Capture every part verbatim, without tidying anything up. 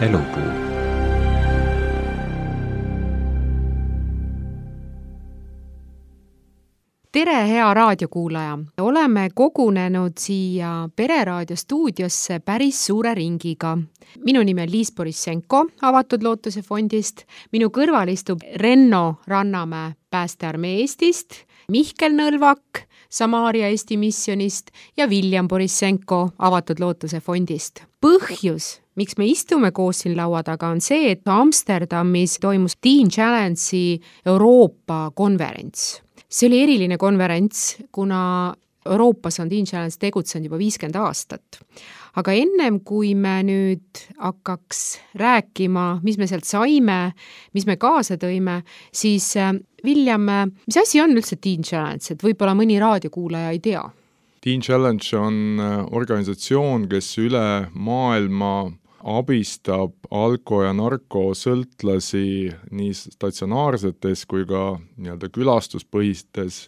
Elupuu. Tere, hea raadiokuulaja! Oleme kogunenud siia Pereraadio stuudiosse päris suure ringiga. Minu nimi on Liis Borissenko Avatud Lootuse fondist. Minu kõrval istub Renno Rannamäe Päästearmee Eestist, Mihkel Nõlvak Samaaria Eesti missionist ja William Borissenko Avatud Lootuse fondist. Põhjus, miks me istume koos siin laua taga, on see, et Amsterdamis toimus Teen Challenge'i Euroopa konverents. See oli eriline konverents, kuna Euroopas on Teen Challenge tegutsenud juba viiskümmend aastat. Aga ennem kui me nüüd hakkaks rääkima, mis me sealt saime, mis me kaasa tõime, siis William, mis asi on üldse Teen Challenge, et võib-olla mõni raadiokuulaja ei tea? Teen Challenge on organisatsioon, kes üle maailma abistab alko- ja narkosõltlasi nii statsionaarsetes kui ka nii-öelda külastuspõhistes,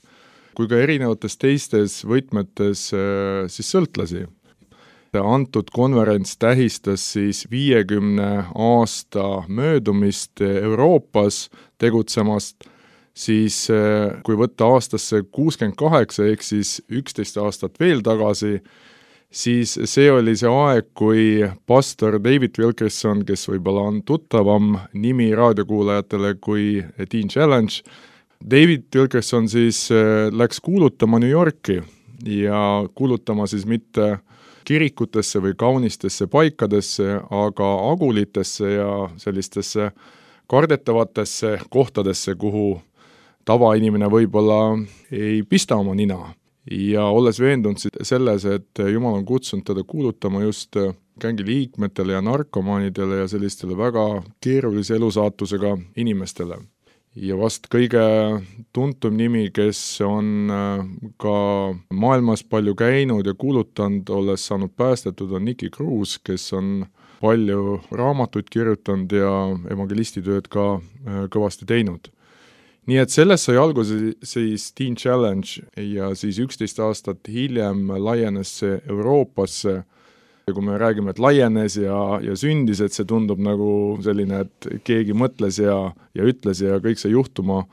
kui ka erinevates teistes võtmetes siis sõltlasi. Antud konverents tähistas siis viiekümne aasta möödumist Euroopas tegutsemast, siis kui võtta aastasse kuuskümmend kaheksa ehk siis üksteist aastat veel tagasi, siis see oli see aeg, kui pastor David Wilkerson, kes võib-olla on tuttavam nimi raadiokuulajatele kui Teen Challenge, David Wilkerson siis läks kuulutama New Yorki ja kuulutama siis mitte kirikutesse või kaunistesse paikadesse, aga agulitesse ja sellistesse kardetavatesse kohtadesse, kuhu tavainimene võib-olla ei pista oma nina. Ja olles veendunud selles, et Jumal on kutsunud teda kuulutama just gängi liikmetele ja narkomaanidele ja sellistele väga keerulise elusaatusega inimestele. Ja vast kõige tuntum nimi, kes on ka maailmas palju käinud ja kuulutanud, olles saanud päästetud, on Nicky Cruz, kes on palju raamatuid kirjutanud ja evangelistitööd ka kõvasti teinud. Nii et sellest sai alguse siis Teen Challenge ja siis üksteist aastat hiljem laienes see Euroopasse. Ja kui me räägime, et laienes ja, ja sündis, et see tundub nagu selline, et keegi mõtles ja, ja ütles ja kõik see juhtuma,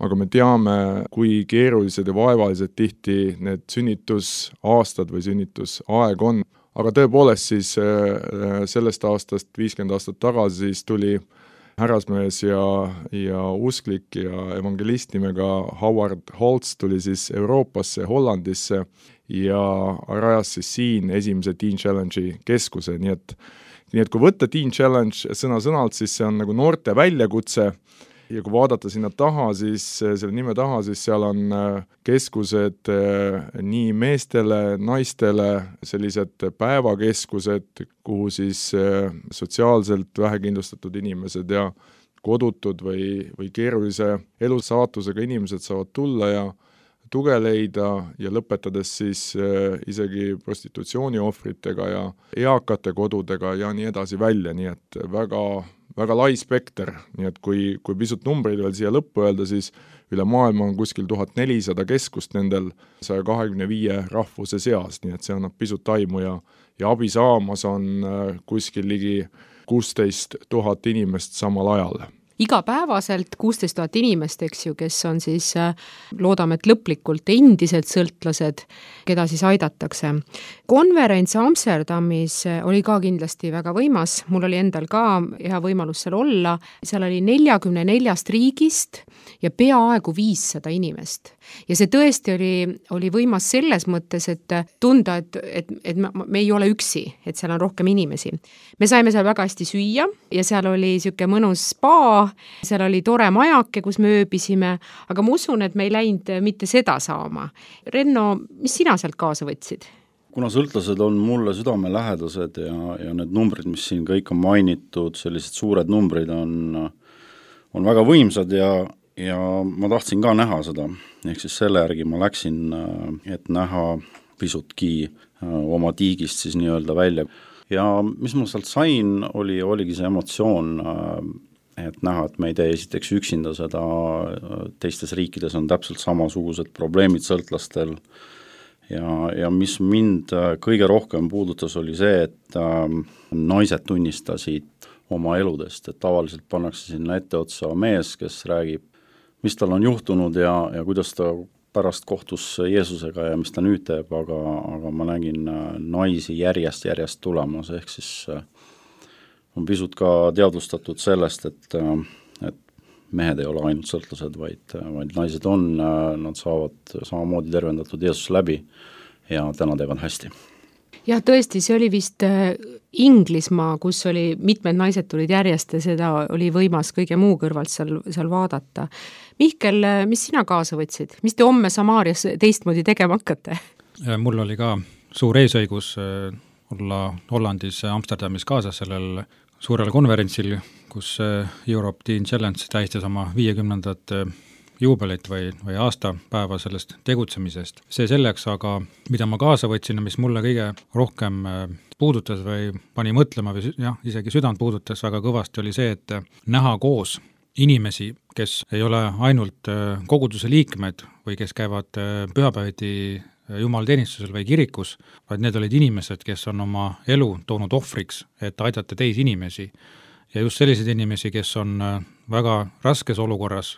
aga me teame, kui keerulised ja vaevalised tihti need sünnitusaastad või sünnitusaeg on. Aga tõepoolest siis sellest aastast, viiskümmend aastat tagasi, siis tuli härrasmees ja, ja usklik ja evangelist nimega Howard Holtz tuli siis Euroopasse, Hollandisse ja rajas siis siin esimese Teen Challenge'i keskuse. Nii et, nii et kui võtta Teen Challenge sõna-sõnalt, siis see on nagu noorte väljakutse ja kui vaadata sinna taha, siis selle nime taha, siis seal on keskused nii meestele, naistele, sellised päevakeskused, kuhu siis sotsiaalselt vähekindlustatud inimesed ja kodutud või, või keerulise elusaatusega inimesed saavad tulla ja tuge leida ja lõpetades siis isegi prostitutsiooni ohvritega ja eakate kodudega ja nii edasi välja, nii et väga väga lai spekter, nii et kui, kui pisut numbreid veel siia lõppu öelda, siis üle maailma on kuskil tuhat nelisada keskust nendel saja kahekümne viie rahvuse seas, nii et see annab pisut aimu ja, ja abi saamas on kuskil ligi kuusteist tuhat inimest samal ajal. Igapäevaselt kuusteist tuhat inimest, eks ju, kes on siis, loodame, et lõplikult endiselt sõltlased, keda siis aidatakse. Konverents Amsterdamis oli ka kindlasti väga võimas, mul oli endal ka hea võimalus seal olla, seal oli neljakümne neljast riigist ja peaaegu viissada inimest. Ja see tõesti oli, oli võimas selles mõttes, et tunda, et, et, et me ei ole üksi, et seal on rohkem inimesi. Me saime seal väga hästi süüa ja seal oli siuke mõnus spa, seal oli tore majake, kus me ööbisime, aga ma usun, et me ei läinud mitte seda saama. Renno, mis sina sealt kaasa võtsid? Kuna sõltlased on mulle südamelähedased ja, ja need numbrid, mis siin kõik on mainitud, sellised suured numbrid on, on väga võimsad ja ja ma tahtsin ka näha seda, ehk siis selle järgi ma läksin, et näha pisutki oma tiigist siis nii-öelda välja. Ja mis ma sealt sain, oli, oligi see emotsioon, et näha, et me ei tee esiteks üksinda seda, teistes riikides on täpselt samasugused probleemid sõltlastel ja, ja mis mind kõige rohkem puudutas, oli see, et naised tunnistasid oma eludest, et tavaliselt pannakse sinna etteotsa mees, kes räägib, mis tal on juhtunud ja, ja kuidas ta pärast kohtus Jeesusega ja mis ta nüüd teeb, aga, aga ma nägin naisi järjest, järjest tulemas, ehk siis on pisut ka teadvustatud sellest, et, et mehed ei ole ainult sõltlased, vaid, vaid naised on, nad saavad samamoodi tervendatud Jeesus läbi ja täna teevad hästi. Jah, tõesti, see oli vist Inglismaa, kus oli mitmed naised tulid järjest ja seda oli võimas kõige muu kõrvalt seal, seal vaadata. Mihkel, mis sina kaasa võtsid? Mis te homme Samaarias teistmoodi tegema hakkate? Mul oli ka suur eesõigus olla Hollandis Amsterdamis kaasas sellel suurel konverentsil, kus Europe Teen Challenge tähistas oma viiekümnendat juubelit või, või aastapäeva sellest tegutsemisest. See selleks, aga mida ma kaasa võtsin ja mis mulle kõige rohkem puudutas või pani mõtlema või jah, isegi südant puudutas väga kõvasti, oli see, et näha koos inimesi, kes ei ole ainult koguduse liikmed või kes käivad pühapäeviti jumalateenistusel või kirikus, vaid need olid inimesed, kes on oma elu toonud ohvriks, et aidata teisi inimesi. Ja just selliseid inimesi, kes on väga raskes olukorras,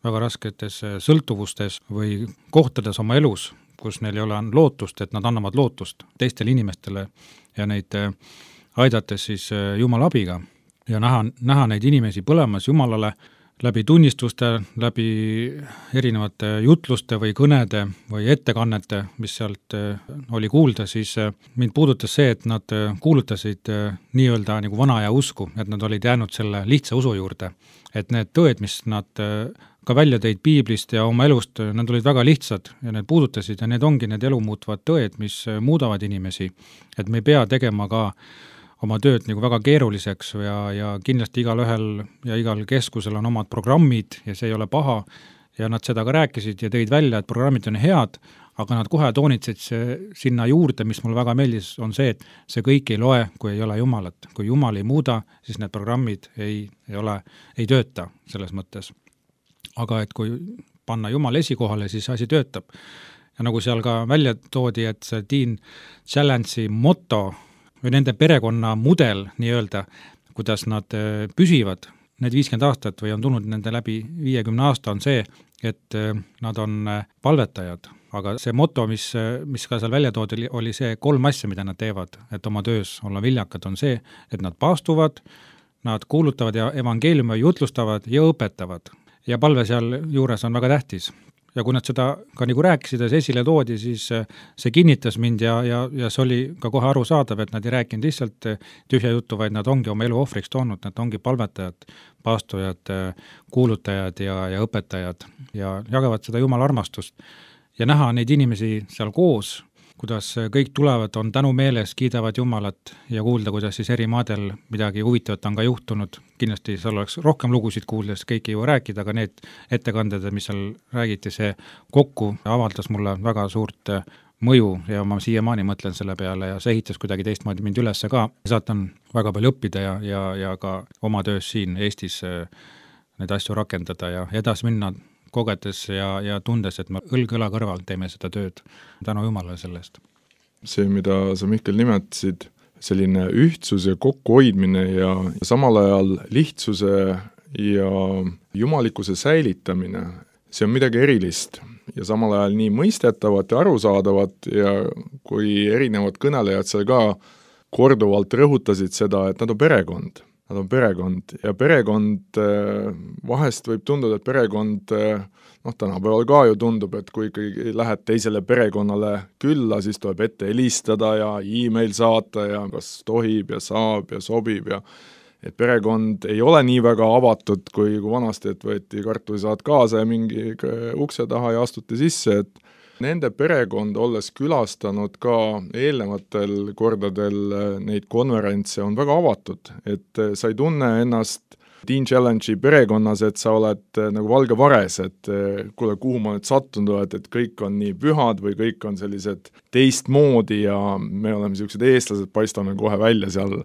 väga rasketes sõltuvustes või kohtades oma elus, kus neil ei ole lootust, et nad annavad lootust teistele inimestele ja neid aidates siis Jumala abiga. Ja näha, näha neid inimesi põlemas Jumalale läbi tunnistuste, läbi erinevate jutluste või kõnede või ettekannete, mis sealt oli kuulda, siis mind puudutas see, et nad kuulutasid nii-öelda nagu vana aja usku, et nad olid jäänud selle lihtsa usu juurde. Et need tõed, mis nad ka välja tõid piiblist ja oma elust, nad olid väga lihtsad ja need puudutasid ja need ongi need elu muutvad tõed, mis muudavad inimesi. Et me ei pea tegema ka oma tööd nagu väga keeruliseks ja, ja kindlasti igal ühel ja igal keskusel on omad programmid ja see ei ole paha ja nad seda ka rääkisid ja tõid välja, et programmid on head, aga nad kohe toonitsid sinna juurde, mis mulle väga meeldis, on see, et see kõik ei loe, kui ei ole Jumalat. Kui Jumal ei muuda, siis need programmid ei, ei, ole, ei tööta selles mõttes. Aga et kui panna Jumal esikohale, siis asi töötab. Ja nagu seal ka välja toodi, et see Teen Challenge'i motto või nende perekonna mudel nii-öelda, kuidas nad püsivad need viiskümmend aastat või on tulnud nende läbi viiekümne aasta, on see, et nad on palvetajad. Aga see motto, mis, mis ka seal välja toodi, oli see kolm asja, mida nad teevad, et oma töös olla viljakad, on see, et nad paastuvad, nad kuulutavad ja evangeeliumi jutlustavad ja õpetavad. Ja palve seal juures on väga tähtis. Ja kui nad seda ka nagu rääkisid ja see esile toodi, siis see kinnitas mind ja, ja, ja see oli ka kohe aru saadav, et nad ei rääkinud lihtsalt tühja juttu, vaid nad ongi oma elu ohvriks toonud, nad ongi palvetajad, paastujad, kuulutajad ja, ja õpetajad ja jagavad seda Jumala armastust. Ja näha neid inimesi seal koos, kuidas kõik tulevad, on tänu meeles, kiidavad Jumalat ja kuulda, kuidas siis eri maadel midagi huvitavat on ka juhtunud. Kindlasti seal oleks rohkem lugusid kuuldes, kõik ei jõua rääkida, aga need ettekanded, mis seal räägiti, see kokku avaldas mulle väga suurt mõju ja ma siiamaani mõtlen selle peale ja see ehitas kuidagi teistmoodi mind üles ka. Saat on väga palju õppida ja, ja, ja ka oma töös siin Eestis neid asju rakendada ja edasi minna kogedes ja, ja tundes, et me õlg-õla kõrval teeme seda tööd. Tänu Jumalale sellest. See, mida sa Mihkel nimetasid, selline ühtsus ja kokkuhoidmine ja samal ajal lihtsuse ja jumalikkuse säilitamine, see on midagi erilist ja samal ajal nii mõistetavat ja arusaadavat ja kui erinevad kõnelejad seal ka korduvalt rõhutasid seda, et nad on perekond. Nad on perekond ja perekond, vahest võib tunduda, et perekond, noh tänapäeval ka ju tundub, et kui ikkagi lähed teisele perekonnale külla, siis tuleb ette helistada ja e-mail saata ja kas tohib ja saab ja sobib ja et perekond ei ole nii väga avatud, kui, kui vanasti, et võeti kartulisaat kaasa ja mingi ukse taha ja astuti sisse, et nende perekond, olles külastanud ka eelnevatel kordadel neid konverentse, on väga avatud, et sa ei tunne ennast Teen Challenge'i perekonnas, et sa oled nagu valge vares, et kuule, kuhu ma nüüd sattunud oled, et kõik on nii pühad või kõik on sellised teistmoodi ja me oleme sellised eestlased, paistame kohe välja seal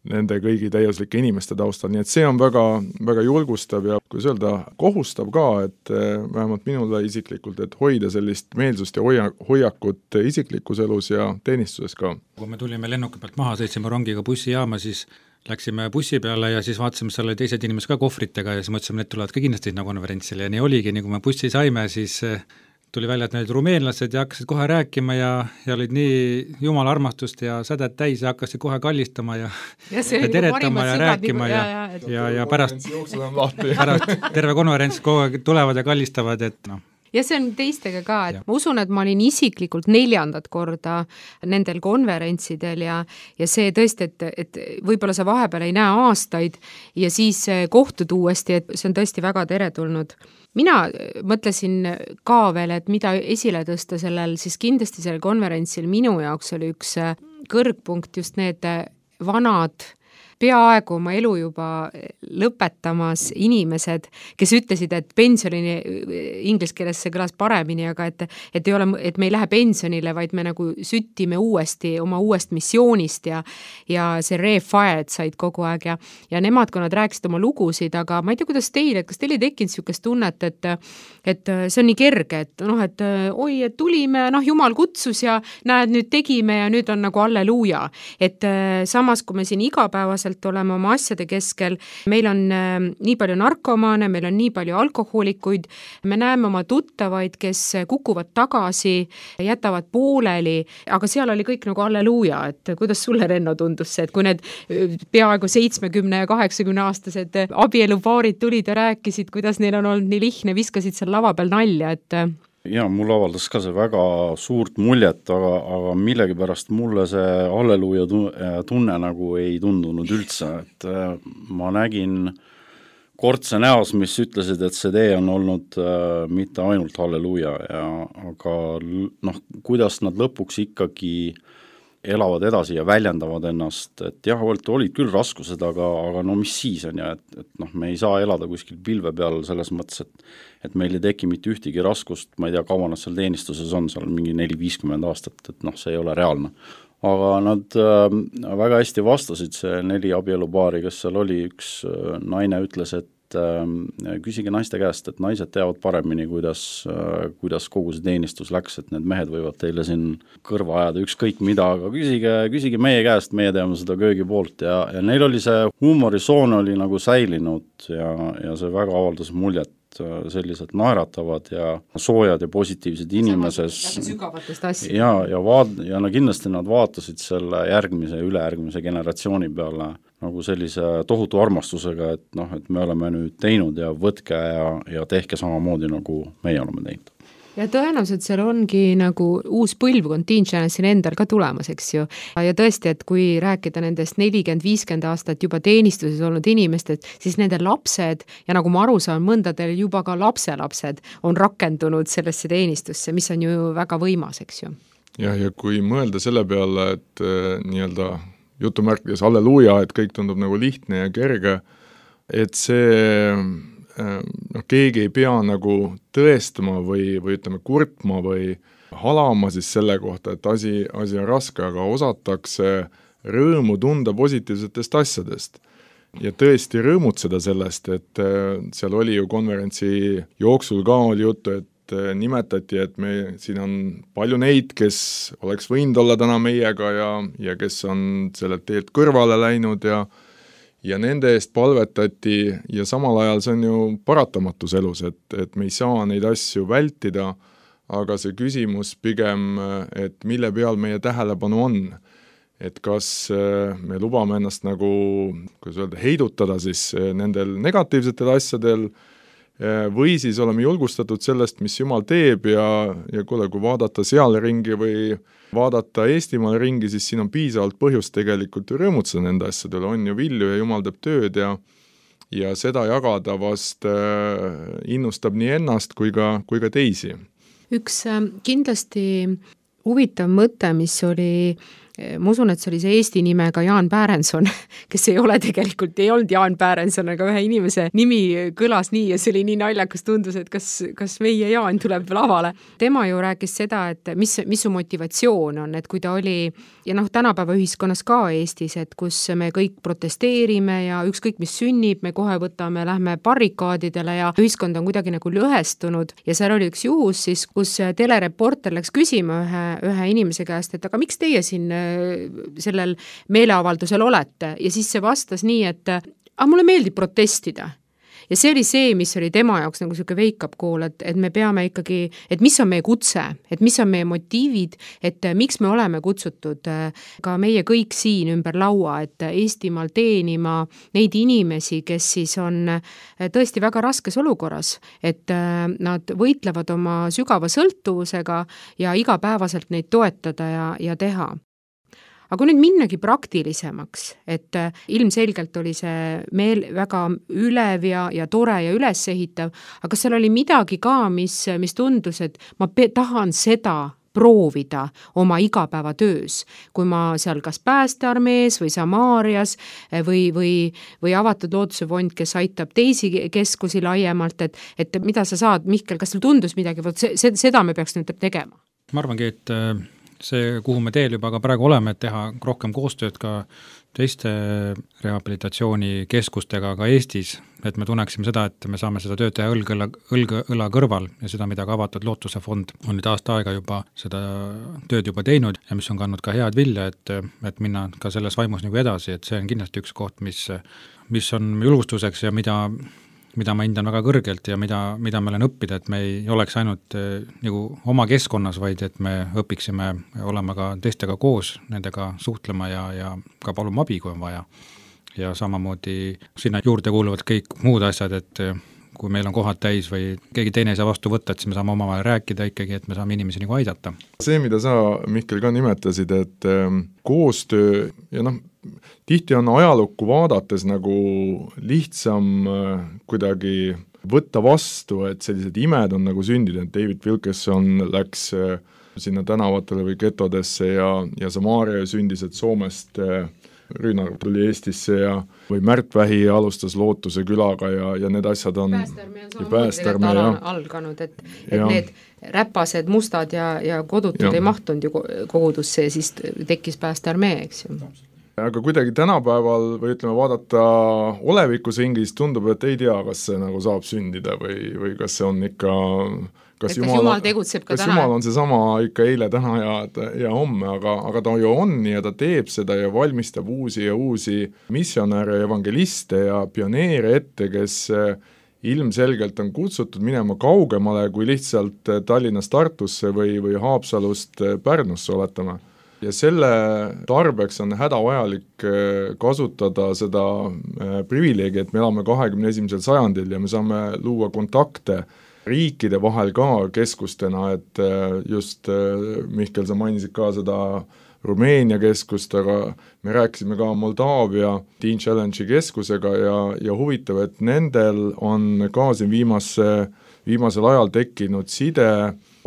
nende kõigi täiuslike inimeste taustal, nii et see on väga, väga julgustav ja kui öelda, kohustav ka, et vähemalt minule isiklikult, et hoida sellist meelsust ja hoia, hoiakut isiklikus elus ja teenistuses ka. Kui me tulime lennuki pealt maha, sõitsime rongiga bussijaama, siis läksime bussi peale ja siis vaatasime, seal oli teised inimesed ka kohvritega ja siis mõtlesime, need tulevad ka kindlasti sinna konverentsile ja nii oligi, nii kui me bussi saime, siis tuli välja, et need rumeenlased ja hakkasid kohe rääkima ja, ja olid nii jumala armastust ja sädet täis ja hakkasid kohe kallistama ja, ja, ja teretama ja rääkima nagu, ja, ja, ja, ja, ja pärast, pärast terve konverents kogu aeg tulevad ja kallistavad, et noh. Ja see on teistega ka, et ja. Ma usun, et ma olin isiklikult neljandat korda nendel konverentsidel ja, ja see tõesti, et, et võib-olla sa vahepeal ei näe aastaid ja siis kohtud uuesti, et see on tõesti väga teretulnud. Mina mõtlesin ka veel, et mida esile tõsta sellel, siis kindlasti sellel konverentsil minu jaoks oli üks kõrgpunkt just need vanad peaaegu oma elu juba lõpetamas inimesed, kes ütlesid, et pensionini, inglise keeles see kõlas paremini, aga et, et, ei ole, et me ei lähe pensionile, vaid me nagu süttime uuesti oma uuest missioonist ja, ja see re-fired said kogu aeg ja, ja nemad, kui nad rääkisid oma lugusid, aga ma ei tea, kuidas teil, et kas teil ei tekkinud niisugust tunnet, et, et see on nii kerge, et noh, et oi, et tulime, noh, Jumal kutsus ja näed, nüüd tegime ja nüüd on nagu alleluuja. Et samas, kui me siin igapäevaselt oleme oma asjade keskel, meil on äh, nii palju narkomaane, meil on nii palju alkohoolikuid, me näeme oma tuttavaid, kes kukuvad tagasi, jätavad pooleli, aga seal oli kõik nagu alleluuja, et kuidas sulle, Renno, tundus see, et kui need peaaegu seitsmekümne ja kaheksakümne aastased abielupaarid tulid ja rääkisid, kuidas neil on olnud nii lihtne, viskasid seal lava peal nalja, et ja mul avaldas ka see väga suurt muljet, aga, aga millegipärast mulle see halleluuja tunne nagu ei tundunud üldse, et ma nägin kortse näos, mis ütlesid, et see tee on olnud äh, mitte ainult halleluuja, ja, aga noh, kuidas nad lõpuks ikkagi elavad edasi ja väljendavad ennast, et jah, olid küll raskused, aga, aga no mis siis on ja et, et noh, me ei saa elada kuskil pilve peal selles mõttes, et et meil ei teki mitte ühtegi raskust, ma ei tea, kaua nad seal teenistuses on, seal mingi neli viiskümmend aastat, et noh, see ei ole reaalne. Aga nad äh, väga hästi vastasid, see neli abielupaari, kes seal oli, üks äh, naine ütles, et äh, küsige naiste käest, et naised teavad paremini, kuidas, äh, kuidas kogu see teenistus läks, et need mehed võivad teile siin kõrva ajada ükskõik mida, aga küsige, küsige meie käest, meie teame seda köögi poolt ja, ja neil oli see huumorisoon oli nagu säilinud ja, ja see väga avaldas muljet, sellised naeratavad ja soojad ja positiivsed inimeses ja, ja, vaat, ja no kindlasti nad vaatasid selle järgmise ja ülejärgmise generatsiooni peale nagu sellise tohutu armastusega, et noh, et me oleme nüüd teinud ja võtke ja, ja tehke samamoodi, nagu meie oleme teinud. Ja tõenäoliselt seal ongi nagu uus põlvkond Teen Chance'il endal ka tulemas, eks ju. Ja tõesti, et kui rääkida nendest nelikümmend viiskümmend aastat juba teenistuses olnud inimestest, siis nende lapsed ja nagu ma aru saan, mõndadel juba ka lapselapsed on rakendunud sellesse teenistusse, mis on ju väga võimas, eks ju. Ja, ja kui mõelda selle peale, et äh, nii-öelda jutumärkides halleluuja, et kõik tundub nagu lihtne ja kerge, et see noh, keegi ei pea nagu tõestama või, või ütleme kurtma või halama siis selle kohta, et asi, asi on raske, aga osatakse rõõmu tunda positiivsetest asjadest. Ja tõesti rõõmutseda sellest, et seal oli ju konverentsi jooksul ka oli juttu, et nimetati, et me, siin on palju neid, kes oleks võinud olla täna meiega ja, ja kes on sellelt teelt kõrvale läinud ja ja nende eest palvetati ja samal ajal see on ju paratamatus elus, et, et me ei saa neid asju vältida, aga see küsimus pigem, et mille peal meie tähelepanu on. Et kas me lubame ennast nagu, kuidas öelda, heidutada siis nendel negatiivsetel asjadel või siis oleme julgustatud sellest, mis Jumal teeb ja, ja kuule, kui vaadata seal ringi või vaadata Eestimaal ringi, siis siin on piisavalt põhjust tegelikult rõõmutseda nende asjadele, on ju vilju ja Jumal teeb tööd ja, ja seda jagada vast äh, innustab nii ennast kui ka, kui ka teisi. Üks äh, kindlasti huvitav mõte, mis oli ma usun, et see oli see Eesti nimega Jaan Päärenson, kes ei ole tegelikult, ei olnud Jaan Päärenson, aga ühe inimese nimi kõlas nii ja see oli nii naljakas, tundus, et kas, kas meie Jaan tuleb lavale. Tema ju rääkis seda, et mis, mis su motivatsioon on, et kui ta oli, ja noh, tänapäeva ühiskonnas ka Eestis, et kus me kõik protesteerime ja ükskõik mis sünnib, me kohe võtame, lähme barrikaadidele ja ühiskond on kuidagi nagu lõhestunud ja seal oli üks juhus siis, kus telereporter läks küsima ühe, ühe inimese käest, et aga miks teie siin sellel meeleavaldusel olete, ja siis see vastas nii, et aga mulle meeldib protestida. Ja see oli see, mis oli tema jaoks nagu selline wake-up call, et, et me peame ikkagi, et mis on meie kutse, et mis on meie motiivid, et miks me oleme kutsutud ka meie kõik siin ümber laua, et Eestimaal teenima neid inimesi, kes siis on tõesti väga raskes olukorras, et nad võitlevad oma sügava sõltuvusega ja igapäevaselt neid toetada ja, ja teha. Aga nüüd minnagi praktilisemaks, et ilmselgelt oli see meel väga ülev ja, ja tore ja ülesehitav, aga seal oli midagi ka, mis, mis tundus, et ma pe- tahan seda proovida oma igapäevatöös, kui ma seal kas Päästearmees või Samaarias või, või, või Avatud Looduse Fond, kes aitab teisi keskusi laiemalt, et, et mida sa saad, Mihkel, kas sul tundus midagi, see, seda me peaks nüüd tegema? Ma arvangi, et see, kuhu me teel juba ka praegu oleme, et teha rohkem koostööd ka teiste rehabilitatsioonikeskustega ka Eestis, et me tunneksime seda, et me saame seda tööd teha õlg õla, õlg õla kõrval ja seda, mida ka Avatud Lootuse Fond on nüüd aasta aega juba seda tööd juba teinud ja mis on kandnud ka head vilja, et, et minna ka selles vaimus nagu edasi, et see on kindlasti üks koht, mis, mis on julgustuseks ja mida mida ma hindan väga kõrgelt ja mida, mida ma olen õppida, et me ei oleks ainult eh, nagu oma keskkonnas, vaid et me õpiksime olema ka teistega koos, nendega suhtlema ja, ja ka paluma abi, kui on vaja. Ja samamoodi sinna juurde kuuluvad kõik muud asjad, et kui meil on kohad täis või keegi teine ei saa vastu võtta, et siis me saame omavahel rääkida ikkagi, et me saame inimesi nagu aidata. See, mida sa, Mihkel, ka nimetasid, et ähm, koostöö ja noh, tihti on ajalukku vaadates nagu lihtsam äh, kuidagi võtta vastu, et sellised imed on nagu sündinud, et David Wilkerson läks äh, sinna tänavatele või getodesse ja, ja Samaaria sündis, et Soomest äh, Rüünar tuli Eestisse ja või Märt Vähi alustas Lootuse külaga ja, ja need asjad on Päästearmee on samamoodi alganud, et, et need räpased, mustad ja, ja kodutud ja. Ei mahtunud ju kogudusse ja siis tekkis Päästearmee, eks ju. Aga kuidagi tänapäeval või ütleme vaadata olevikus ringis tundub, et ei tea, kas see nagu saab sündida või, või kas see on ikka kas, kas Jumal, Jumal tegutseb ka kas täna? Jumal on see sama ikka eile, täna ja, ja homme, aga, aga ta ju on ja ta teeb seda ja valmistab uusi ja uusi missionäre, evangeliste ja pioneere ette, kes ilmselgelt on kutsutud minema kaugemale kui lihtsalt Tallinnast Tartusse või, või Haapsalust Pärnusse oletame. Ja selle tarbeks on hädavajalik kasutada seda privileegi, et me elame kahekümne esimesel sajandil ja me saame luua kontakte riikide vahel ka keskustena, et just Mihkel, sa mainisid ka seda Rumeenia keskust, aga me rääkisime ka Moldaavia Teen Challenge'i keskusega ja, ja huvitav, et nendel on ka siin viimase, viimasel ajal tekkinud side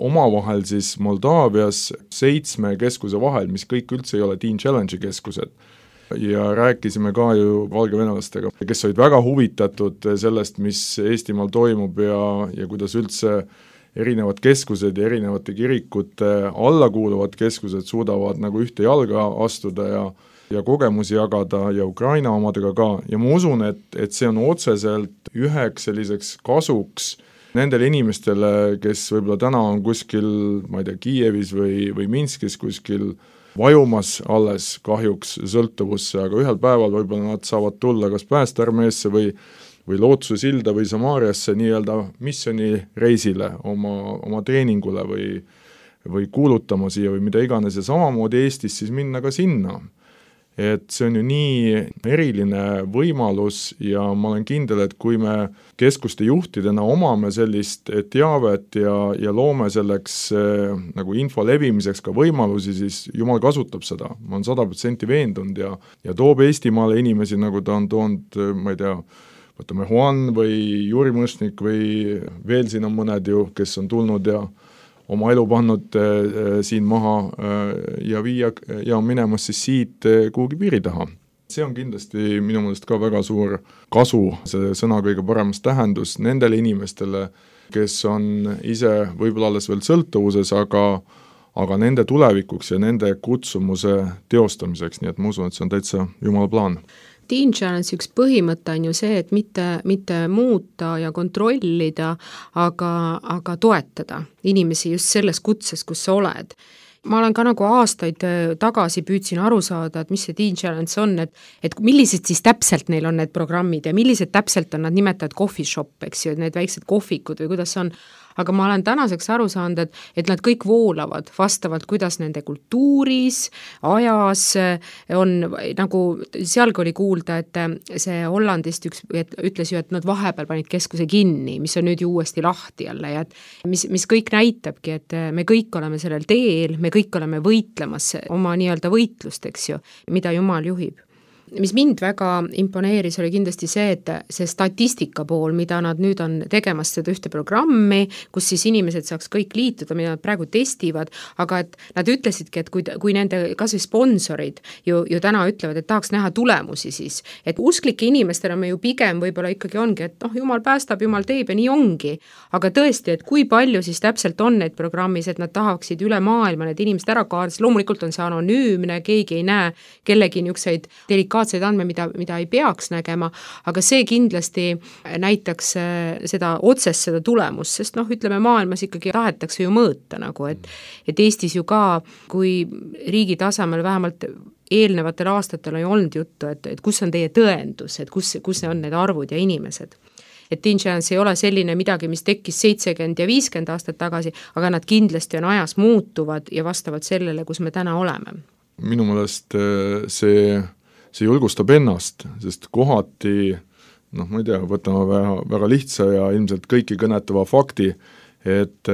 omavahel siis Moldaavias seitsme keskuse vahel, mis kõik üldse ei ole Teen Challenge'i keskused. Ja rääkisime ka ju valgevenelastega, kes olid väga huvitatud sellest, mis Eestimaal toimub ja, ja kuidas üldse erinevad keskused ja erinevate kirikute alla kuuluvad keskused suudavad nagu ühte jalga astuda ja, ja kogemusi jagada ja Ukraina omadega ka. Ja ma usun, et, et see on otseselt üheks selliseks kasuks nendele inimestele, kes võib-olla täna on kuskil, ma ei tea, Kiievis või, või Minskis kuskil vajumas alles kahjuks sõltuvusse, aga ühel päeval võib-olla nad saavad tulla kas Päästearmeesse või, või Lootuse silda või Samaariasse nii-öelda missioonireisile oma, oma treeningule või, või kuulutama siia või mida iganes ja samamoodi Eestis siis minna ka sinna. Et see on ju nii eriline võimalus ja ma olen kindel, et kui me keskuste juhtidena omame sellist teavet ja, ja loome selleks eh, nagu info levimiseks ka võimalusi, siis Jumal kasutab seda. Ma olen sada protsenti veendunud ja, ja toob Eestimaale inimesi, nagu ta on toonud, ma ei tea, võtame Juan või Juri Mõšnik või veel siin on mõned ju, kes on tulnud ja oma elu pannud äh, siin maha äh, ja viia ja minemas siis siit äh, kuhugi piiri taha. See on kindlasti minu meelest ka väga suur kasu, see sõna kõige paremas tähendus nendele inimestele, kes on ise võib-olla alles veel sõltuvuses, aga, aga nende tulevikuks ja nende kutsumuse teostamiseks, nii et ma usun, et see on täitsa Jumala plaan. Teen Challenge üks põhimõte on ju see, et mitte, mitte muuta ja kontrollida, aga, aga toetada inimesi just selles kutses, kus sa oled. ma olen ka nagu aastaid tagasi püüdsin aru saada, et mis see Teen Challenge on, et, et millised siis täpselt neil on need programmid ja millised täpselt on nad nimetavad coffee shop, eks ju, need väiksed kohvikud või kuidas see on, aga ma olen tänaseks aru saanud, et, et nad kõik voolavad vastavalt, kuidas nende kultuuris, ajas on nagu, sealgi oli kuulda, et see Hollandist üks et, ütles ju, et nad vahepeal panid keskuse kinni, mis on nüüd ju uuesti lahti jälle ja et mis, mis kõik näitabki, et me kõik oleme sellel teel, me kõik oleme võitlemas oma nii-öelda võitlust, eks ju, mida Jumal juhib. Mis mind väga imponeeris, oli kindlasti see, et see statistika pool, mida nad nüüd on tegemas seda ühte programmi, kus siis inimesed saaks kõik liituda, mida nad praegu testivad, aga et nad ütlesidki, et kui, kui nende kas või sponsorid ju, ju täna ütlevad, et tahaks näha tulemusi siis, et usklike inimestena me ju pigem võib-olla ikkagi ongi, et noh, Jumal päästab, Jumal teeb ja nii ongi, aga tõesti, et kui palju siis täpselt on neid programmis, et nad tahaksid üle maailma need inimesed ära kaardis, loomulikult on see anonüümne, keegi ei näe kellegi niisuguseid delikaatseid andme, mida, mida ei peaks nägema, aga see kindlasti näitaks seda otsest seda tulemust, sest noh, ütleme maailmas ikkagi tahetakse ju mõõta nagu, et, et Eestis ju ka, kui riigi tasemel vähemalt eelnevatel aastatel on ju olnud juttu, et, et kus on teie tõendus, et kus, kus on need arvud ja inimesed. Et Teen Challenge ei ole selline midagi, mis tekkis seitsekümmend ja viiskümmend aastat tagasi, aga nad kindlasti on ajas muutuvad ja vastavalt sellele, kus me täna oleme. Minu meelest see see julgustab ennast, sest kohati, noh, ma ei tea, võtame väga, väga lihtsa ja ilmselt kõiki kõnetava fakti, et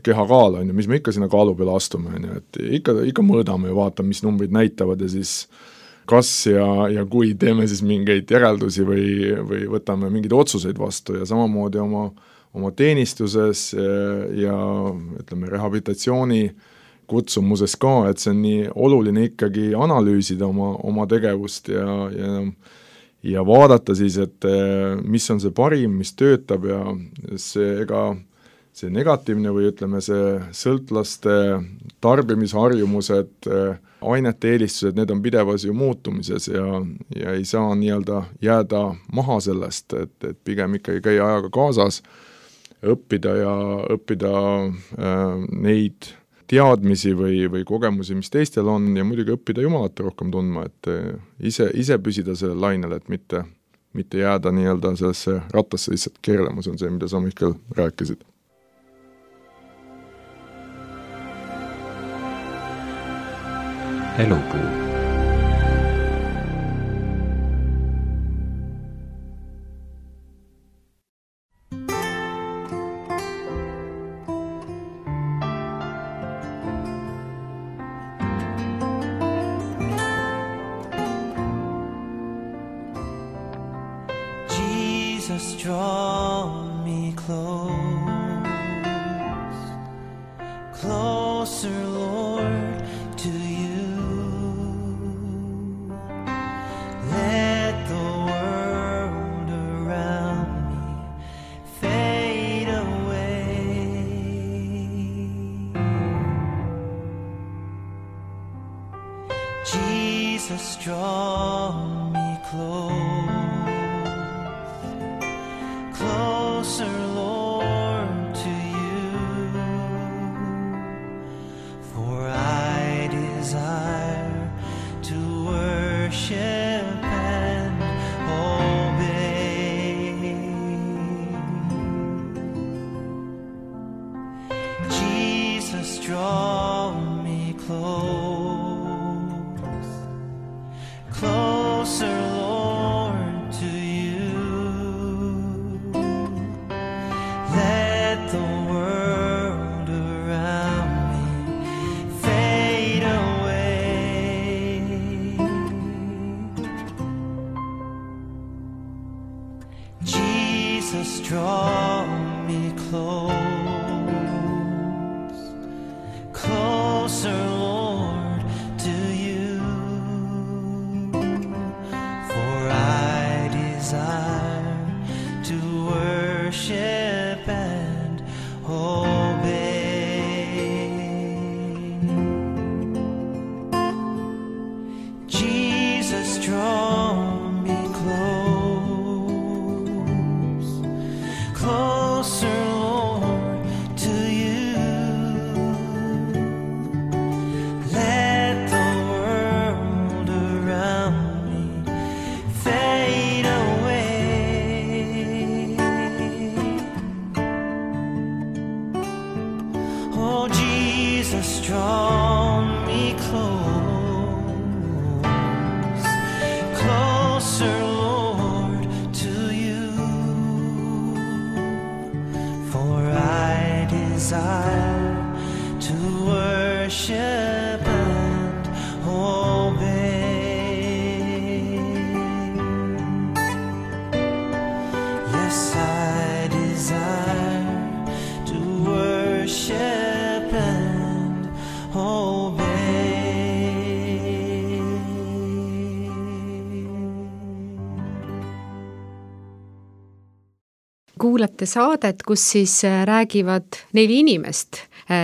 kehakaal on ju, mis me ikka sinna kaalu peale astume, on ju, et ikka, ikka mõõdame ja vaatame, mis numbrid näitavad ja siis kas ja, ja kui teeme siis mingeid järeldusi või, või võtame mingeid otsuseid vastu ja samamoodi oma, oma teenistuses ja ütleme, rehabilitatsiooni kutsumuses ka, et see on nii oluline ikkagi analüüsida oma, oma tegevust ja, ja, ja vaadata siis, et mis on see parim, mis töötab ja see, ega see negatiivne või ütleme, see sõltlaste tarbimisharjumused, ainete eelistused, need on pidevas ju muutumises ja, ja ei saa nii-öelda jääda maha sellest, et, et pigem ikkagi käia ajaga kaasas, õppida ja õppida äh, neid teadmisi või, või kogemusi, mis teistel on ja muidugi õppida Jumalat rohkem tundma, et ise, ise püsida sellel lainel, et mitte, mitte jääda nii-öelda sellesse rattasse lihtsalt keerlema, see on see, mida sa Mihkel rääkisid. Elupuu. Jesus, draw me close, closer, Lord, to you. Let the world around me fade away. Jesus, draw me close, closer, Lord, to you, for I desire to worship and obey. Jesus, draw me close, closer, Lord, to you. Let the world around me fade away. Jesus, draw me close, closer, Lord, Oh, Jesus, draw me close, closer, Lord, to you, for I desire to worship and obey. Yes, I desire to worship and obey. Kuulate saadet, kus siis räägivad neli inimest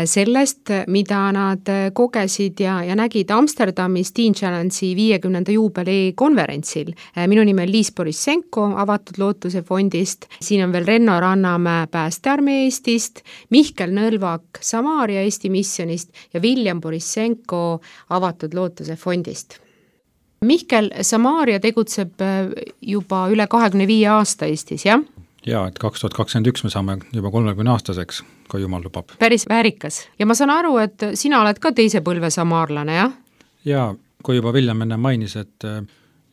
sellest, mida nad kogesid ja, ja nägid Amsterdamis Teen Challenge'i viiekümnenda juubeli konverentsil. Minu nimi on Liis Borissenko Avatud Lootuse fondist, siin on veel Renno Rannamäe Päästearmee Eestist, Mihkel Nõlvak Samaaria Eesti missionist ja William Borissenko Avatud Lootuse fondist. Mihkel, Samaaria tegutseb juba üle kahekümne viie aasta Eestis, jah? Jaa, et kaks tuhat kakskümmend üks me saame juba kolmekümne aastaseks, kui Jumal lubab. Päris väärikas. Ja ma saan aru, et sina oled ka teise põlve samaarlane, jah? Jaa, kui juba William enne mainis, et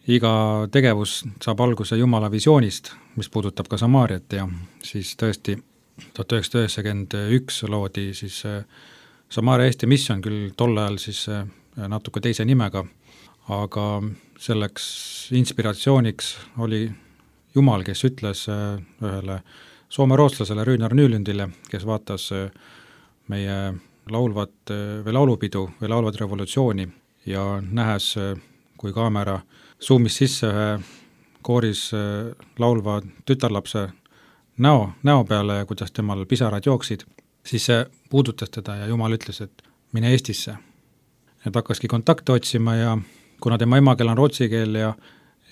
iga tegevus saab alguse Jumala visioonist, mis puudutab ka Samaariat ja siis tõesti tuhat üheksasada üheksakümmend üks loodi siis Samaaria Eesti missioon, küll tol ajal siis natuke teise nimega, aga selleks inspiratsiooniks oli Jumal, kes ütles ühele soome-rootslasele Rüünar Nylundile, kes vaatas meie laulvat või laulupidu või laulvat revolutsiooni ja nähes, kui kaamera zoomis sisse ühe kooris laulva tütarlapse näo, näo peale ja kuidas temal pisarad jooksid, siis see puudutas teda ja Jumal ütles, et mine Eestisse. Et hakkaski kontakte otsima ja kuna tema emakeel on rootsi keel ja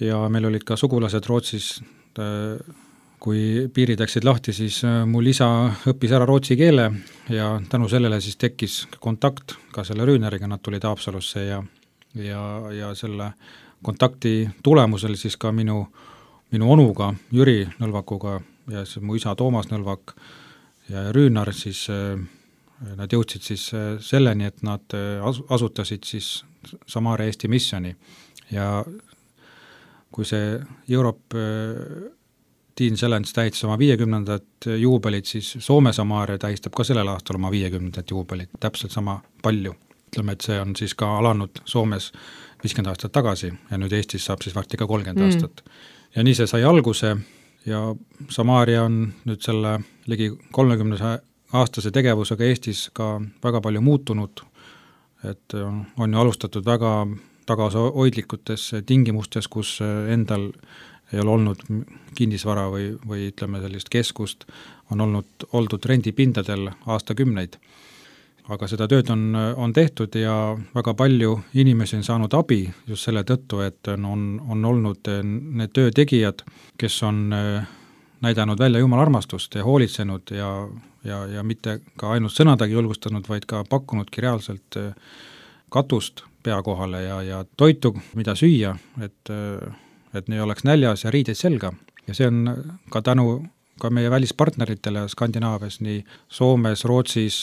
ja meil olid ka sugulased Rootsis, kui piirid läksid lahti, siis mul isa õppis ära rootsi keele ja tänu sellele siis tekkis kontakt ka selle Rüüneriga, nad tulid Haapsalusse ja, ja, ja selle kontakti tulemusel siis ka minu, minu onuga, Jüri Nõlvakuga ja siis mu isa Toomas Nõlvak ja Rüünar, siis nad jõudsid siis selleni, et nad asutasid siis Samaaria Eesti missiooni ja kui see Europe Teen Challenge tähistas oma viiekümnendat juubelit, siis Soome Samaaria tähistab ka sellel aastal oma viiekümnendat juubelit, täpselt sama palju. Ütleme, et see on siis ka alanud Soomes viiskümmend aastat tagasi ja nüüd Eestis saab siis varsti ka kolmkümmend mm. aastat. Ja nii see sai alguse ja Samaaria on nüüd selle ligi kolmekümne aastase tegevusega Eestis ka väga palju muutunud, et on ju alustatud väga tagasihoidlikutes tingimustes, kus endal ei ole olnud kinnisvara või, või ütleme sellist keskust, on olnud oldud rendipindadel aastakümneid. Aga seda tööd on, on tehtud ja väga palju inimesi on saanud abi just selle tõttu, et on, on olnud need töötegijad, kes on näidanud välja Jumala armastust ja hoolitsenud ja, ja, ja mitte ka ainult sõnadagi julgustanud, vaid ka pakkunudki reaalselt katust pea kohale ja, ja toitu, mida süüa, et, et ne oleks näljas ja riideid selga. Ja see on ka tänu ka meie välispartneritele Skandinaavias, nii Soomes, Rootsis,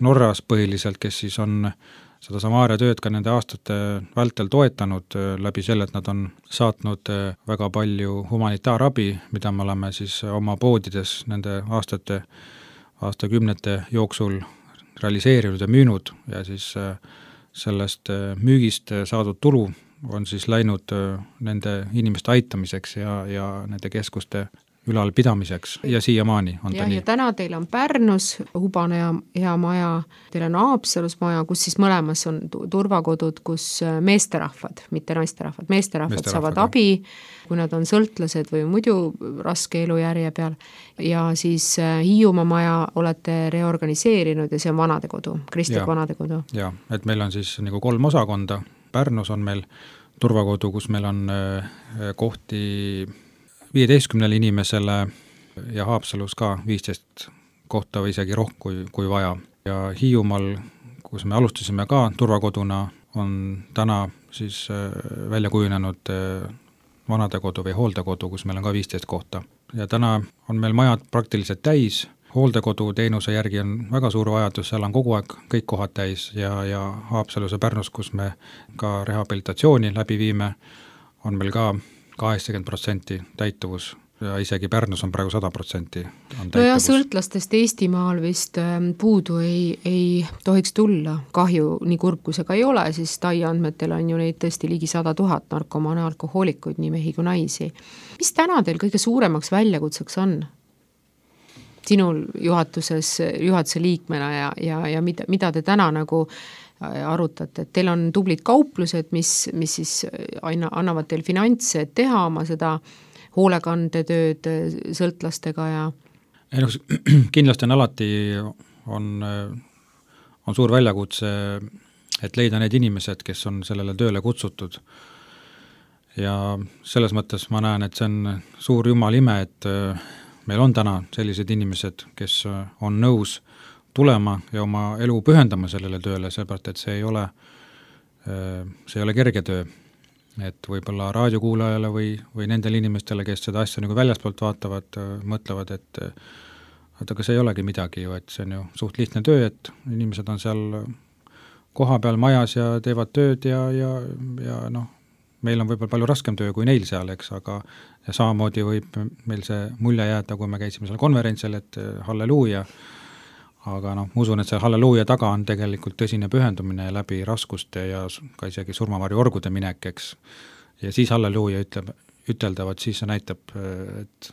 Norras põhiliselt, kes siis on seda Samaaria tööd ka nende aastate vältel toetanud läbi selle, et nad on saatnud väga palju humanitaarabi, mida me oleme siis oma poodides nende aastate, aastakümnete jooksul realiseerinud ja müünud ja siis sellest müügist saadud tulu on siis läinud nende inimeste aitamiseks ja, ja nende keskuste ülalpidamiseks ja siiamaani on ja, ta nii. Ja täna teil on Pärnus Hubane ja hea maja, teil on Haapsalus maja, kus siis mõlemas on turvakodud, kus meesterahvad, mitte naisterahvad, meesterahvad, meesterahvad saavad jah. abi, kui nad on sõltlased või muidu raske elujärje peal. Ja siis Hiiumaa maja olete reorganiseerinud ja see on vanadekodu, kristlik vanadekodu. Jaa, et meil on siis nagu kolm osakonda. Pärnus on meil turvakodu, kus meil on kohti viieteistkümnele inimesele ja Haapsalus ka viisteist kohta või isegi rohkem kui, kui vaja. Ja Hiiumaal, kus me alustasime ka turvakoduna, on täna siis välja kujunenud vanadekodu või hooldekodu, kus meil on ka viisteist kohta. Ja täna on meil majad praktiliselt täis hooldekoduteenuse järgi on väga suur vajadus, seal on kogu aeg kõik kohad täis ja, ja Haapsalus ja Pärnus, kus me ka rehabilitatsiooni läbi viime, on meil ka kaheksakümmend protsenti täituvus ja isegi Pärnus on praegu sada protsenti on no ja täituvus. sõltlastest Eestimaal vist puudu ei, ei tohiks tulla. Kahju, nii kurb kui see ka ei ole, siis Tai andmetel on ju neid tõesti ligi sada tuhat narkomaane alkohoolikuid, nii mehi kui naisi. Mis täna teil kõige suuremaks väljakutseks on? Sinul juhatuses, juhatuse liikmena ja, ja, ja mida, mida te täna nagu arutate, et teil on tublid kauplused, mis, mis siis aina, annavad teil finantse, et teha oma seda hoolekandetööd sõltlastega ja ei, no, kindlasti on alati on, on suur väljakutse, et leida need inimesed, kes on sellele tööle kutsutud. Ja selles mõttes ma näen, et see on suur jumal ime, et meil on täna sellised inimesed, kes on nõus tulema ja oma elu pühendama sellele tööle, sellepärast, et see ei ole, see ei ole kerge töö. Et võib-olla raadiokuulajale või, või nendele inimestele, kes seda asja nagu väljaspoolt vaatavad, mõtlevad, et et aga see ei olegi midagi ju, et see on ju suht lihtne töö, et inimesed on seal koha peal majas ja teevad tööd ja, ja, ja noh, meil on võib-olla palju raskem töö kui neil seal, eks, aga ja samamoodi võib meil see mulje jääda, kui me käisime seal konverentsil, et halleluuja, aga noh, ma usun, et see halleluuja taga on tegelikult tõsine pühendumine läbi raskuste ja ka isegi surmavarju orgude minek, eks. Ja siis halleluuja ütleb, üteldavad, siis see näitab et,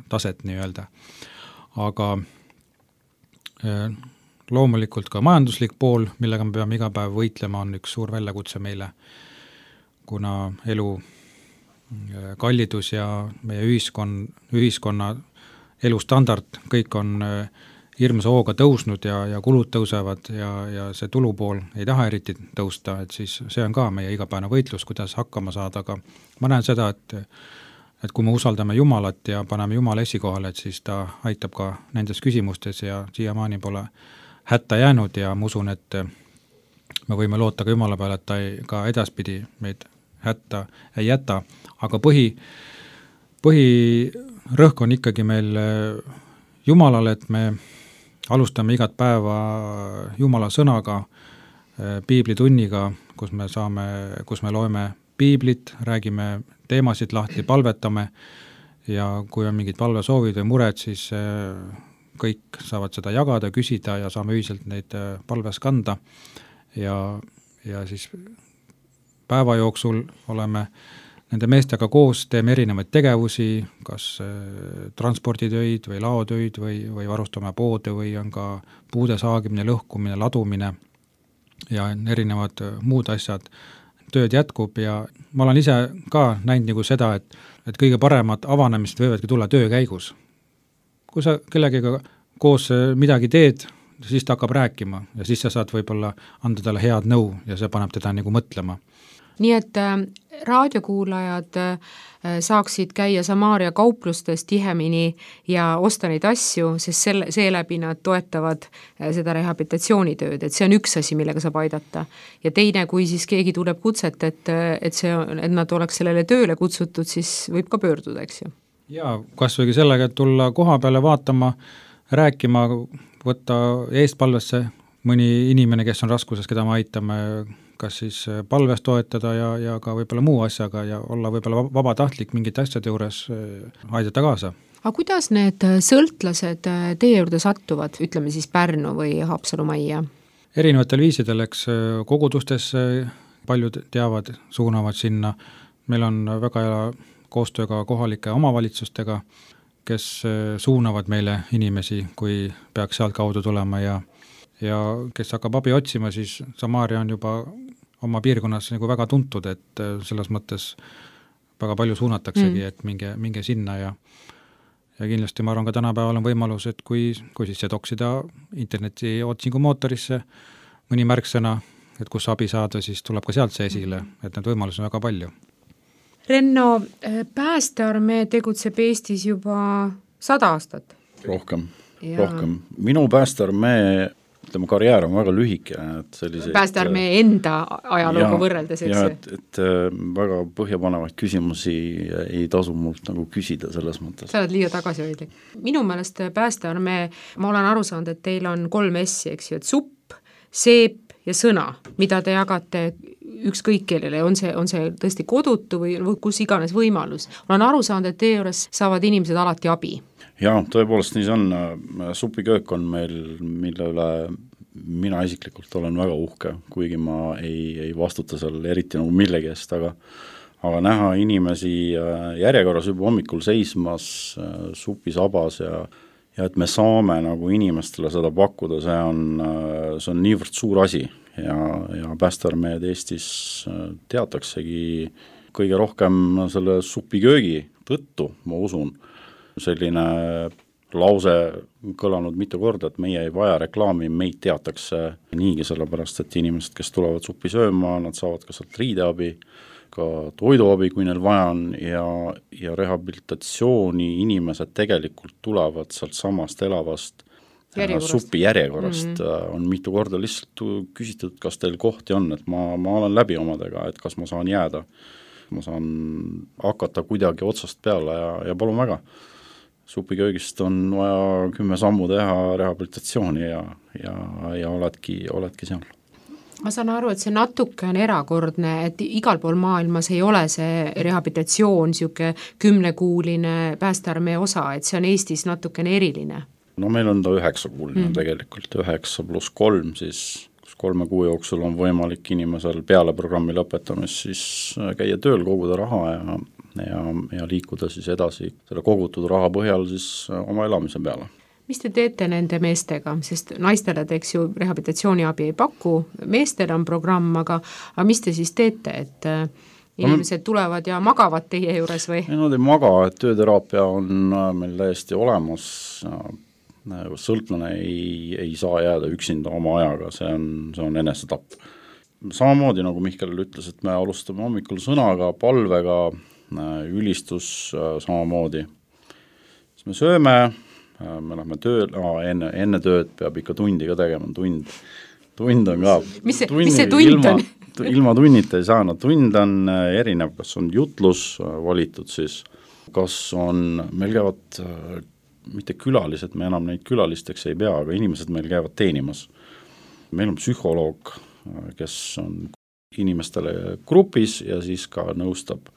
taset nii-öelda. Aga loomulikult ka majanduslik pool, millega me peame iga päev võitlema, on üks suur väljakutse meile, kuna elu kallidus ja meie ühiskon, ühiskonna elustandard, kõik on hirmsa hooga tõusnud ja, ja kulud tõusevad ja, ja see tulupool ei taha eriti tõusta, et siis see on ka meie igapäevane võitlus, kuidas hakkama saada, aga ma näen seda, et, et kui me usaldame Jumalat ja paneme Jumala esikohale, et siis ta aitab ka nendes küsimustes ja siiamaani pole hätta jäänud ja ma usun, et me võime loota ka Jumala peale, et ta ei, ka edaspidi meid hätta ei jäta, aga põhi, põhirõhk on ikkagi meil Jumalale, et me alustame igat päeva Jumala sõnaga, piiblitunniga, kus me saame, kus me loeme piiblit, räägime teemasid lahti, palvetame ja kui on mingid palvesoovid või mured, siis kõik saavad seda jagada, küsida ja saame ühiselt neid palves kanda ja, ja siis päeva jooksul oleme nende meestega koos, teeme erinevaid tegevusi, kas transporditöid või laotöid või, või varustame poode või on ka puude saagimine, lõhkumine, ladumine ja erinevad muud asjad. Tööd jätkub ja ma olen ise ka näinud nagu seda, et, et kõige paremad avanemised võivadki tulla töö käigus. Kui sa kellegiga koos midagi teed, siis ta hakkab rääkima ja siis sa saad võib-olla anda talle head nõu ja see paneb teda nagu mõtlema. Nii et äh, raadiokuulajad äh, saaksid käia Samaaria kauplustes tihemini ja osta neid asju, sest selle, seeläbi nad toetavad äh, seda rehabilitatsioonitööd, et see on üks asi, millega saab aidata. Ja teine, kui siis keegi tuleb kutset, et, et, see, et nad oleks sellele tööle kutsutud, siis võib ka pöörduda, eks ju? Jaa, kas võigi sellega, et tulla koha peale vaatama, rääkima, võtta eestpalvesse mõni inimene, kes on raskuses, keda me aitame, kas siis palves toetada ja, ja ka võib-olla muu asjaga ja olla võib-olla vabatahtlik mingite asjade juures aidata kaasa. Aga kuidas need sõltlased teie juurde sattuvad, ütleme siis Pärnu või Haapsalu majja? Erinevatel viisidel, eks kogudustes paljud teavad, suunavad sinna. Meil on väga hea koostööga kohalike omavalitsustega, kes suunavad meile inimesi, kui peaks sealt kaudu tulema ja ja kes hakkab abi otsima, siis Samaaria on juba oma piirkonnas nagu väga tuntud, et selles mõttes väga palju suunataksegi, mm. et minge, minge sinna ja ja kindlasti ma arvan ka tänapäeval on võimalus, et kui, kui siis see toksida interneti otsingu mootorisse mõni märksõna, et kus abi saada, siis tuleb ka sealt see esile, et need võimalused on väga palju. Renno, päästearmee tegutseb Eestis juba sada aastat. Rohkem, ja. rohkem. Minu päästearmee ütleme, karjäär on väga lühike, et selliseid päästearmee enda ajalooga võrreldes, eks? Ja, et, et väga põhjapanevaid küsimusi ei tasu mult nagu küsida selles mõttes. Sa oled liiga tagasihoidlik. Minu meelest päästearmee, ma olen aru saanud, et teil on kolm S-i, eks ju, et supp, seep ja sõna, mida te jagate ükskõik kellele, on see, on see tõesti kodutu või, või kus iganes võimalus. Olen aru saanud, et teie juures saavad inimesed alati abi. Jaa, tõepoolest nii see on, supiköök on meil, mille üle mina isiklikult olen väga uhke, kuigi ma ei, ei vastuta seal eriti nagu millegi eest, aga aga näha inimesi järjekorras juba hommikul seismas supisabas ja, ja et me saame nagu inimestele seda pakkuda, see on, see on niivõrd suur asi ja, ja päästearmeed Eestis teataksegi kõige rohkem selle supiköögi tõttu, ma usun. Selline lause kõlanud mitu korda, et meie ei vaja reklaami, meid teatakse niigi sellepärast, et inimesed, kes tulevad suppi sööma, nad saavad ka sealt riideabi, ka toiduabi, kui neil vaja on ja, ja rehabilitatsiooni inimesed tegelikult tulevad sealt samast elavast järjekorrast. Supi järjekorrast mm-hmm. on mitu korda lihtsalt küsitud, kas teil kohti on, et ma, ma olen läbi omadega, et kas ma saan jääda, ma saan hakata kuidagi otsast peale ja, ja palun väga. Supiköögist on vaja kümme sammu teha rehabilitatsiooni ja, ja, ja oledki, oledki seal. Ma saan aru, et see natuke on erakordne, et igal pool maailmas ei ole see rehabilitatsioon siuke kümnekuuline päästearmee osa, et see on Eestis natukene eriline. No meil on ta üheksakuuline mm. tegelikult, üheksa pluss kolm, siis kolme kuu jooksul on võimalik inimesel peale programmi lõpetamist siis käia tööl, koguda raha ja, ja, ja liikuda siis edasi selle kogutud raha põhjal siis oma elamise peale. Mis te teete nende meestega, sest naistele te, eks ju, rehabilitatsiooniabi ei paku, meestel on programm, aga, aga mis te siis teete, et inimesed tulevad ja magavad teie juures või? Ei, nad ei maga, et tööteraapia on meil täiesti olemas, sõltlane ei, ei saa jääda üksinda oma ajaga, see on, see on enesetapp. Samamoodi, nagu Mihkel ütles, et me alustame hommikul sõnaga, palvega, ülistus samamoodi. Siis me sööme, me lähme tööl, enne, enne tööd peab ikka tundi ka tegema, tund, tund on ka. Mis see, mis see tund ilma, on? Ilma tunnita ei saa, no tund on erinev, kas on jutlus valitud siis, kas on, meil käivad mitte külalised, me enam neid külalisteks ei pea, aga inimesed meil käivad teenimas. Meil on psühholoog, kes on inimestele grupis ja siis ka nõustab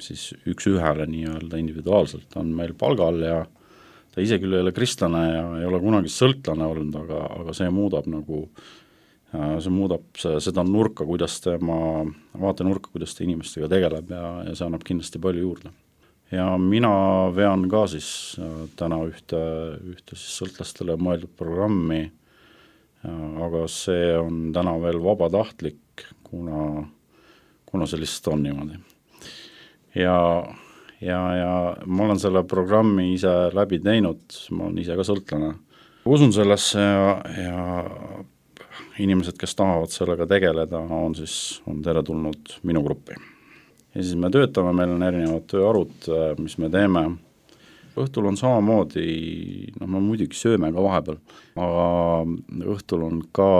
siis üks ühele nii-öelda individuaalselt on meil palgal ja ta ise küll ei ole kristlane ja ei ole kunagi sõltlane olnud, aga, aga see muudab nagu, see muudab see, seda nurka, kuidas tema, vaatenurka, kuidas ta inimestega tegeleb ja, ja see annab kindlasti palju juurde. Ja mina vean ka siis täna ühte, ühte siis sõltlastele mõeldud programmi, aga see on täna veel vabatahtlik, kuna, kuna see lihtsalt on niimoodi. Ja, ja, ja ma olen selle programmi ise läbi teinud, ma olen ise ka sõltlane. Usun sellesse ja, ja inimesed, kes tahavad sellega tegeleda, on siis on teretulnud minu gruppi. Ja siis me töötame, meil on erinevad tööarud, mis me teeme. Õhtul on samamoodi, noh me muidugi sööme ka vahepeal, aga õhtul on ka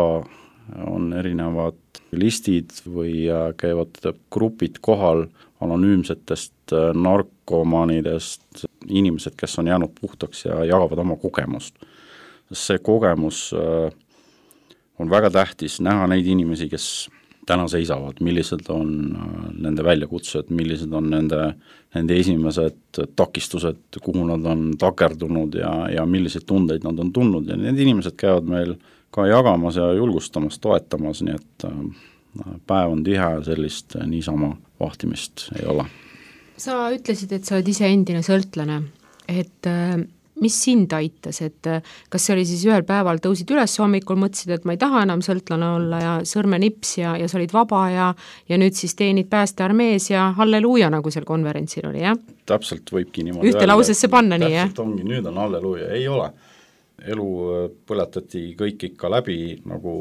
on erinevad listid või käivad grupid kohal anonüümsetest narkomaanidest, inimesed, kes on jäänud puhtaks ja jagavad oma kogemust. See kogemus on väga tähtis näha neid inimesi, kes täna seisavad, millised on nende väljakutsed, millised on nende, nende esimesed takistused, kuhu nad on takerdunud ja, ja milliseid tundeid nad on tundnud ja need inimesed käivad meil ka jagamas ja julgustamas, toetamas, nii et päev on tihe, sellist niisama vahtimist ei ole. Sa ütlesid, et sa oled ise endine sõltlane, et mis sind aitas, et kas see oli siis ühel päeval tõusid üles hommikul, mõtlesid, et ma ei taha enam sõltlane olla ja sõrmenips ja, ja sa olid vaba ja, ja nüüd siis teenid päästearmees ja halleluuja, nagu seal konverentsil oli, jah? Täpselt võibki niimoodi ühte lausesse panna nii, jah? Täpselt ongi, nüüd on halleluuja, ei ole. Elu põletati kõik ikka läbi, nagu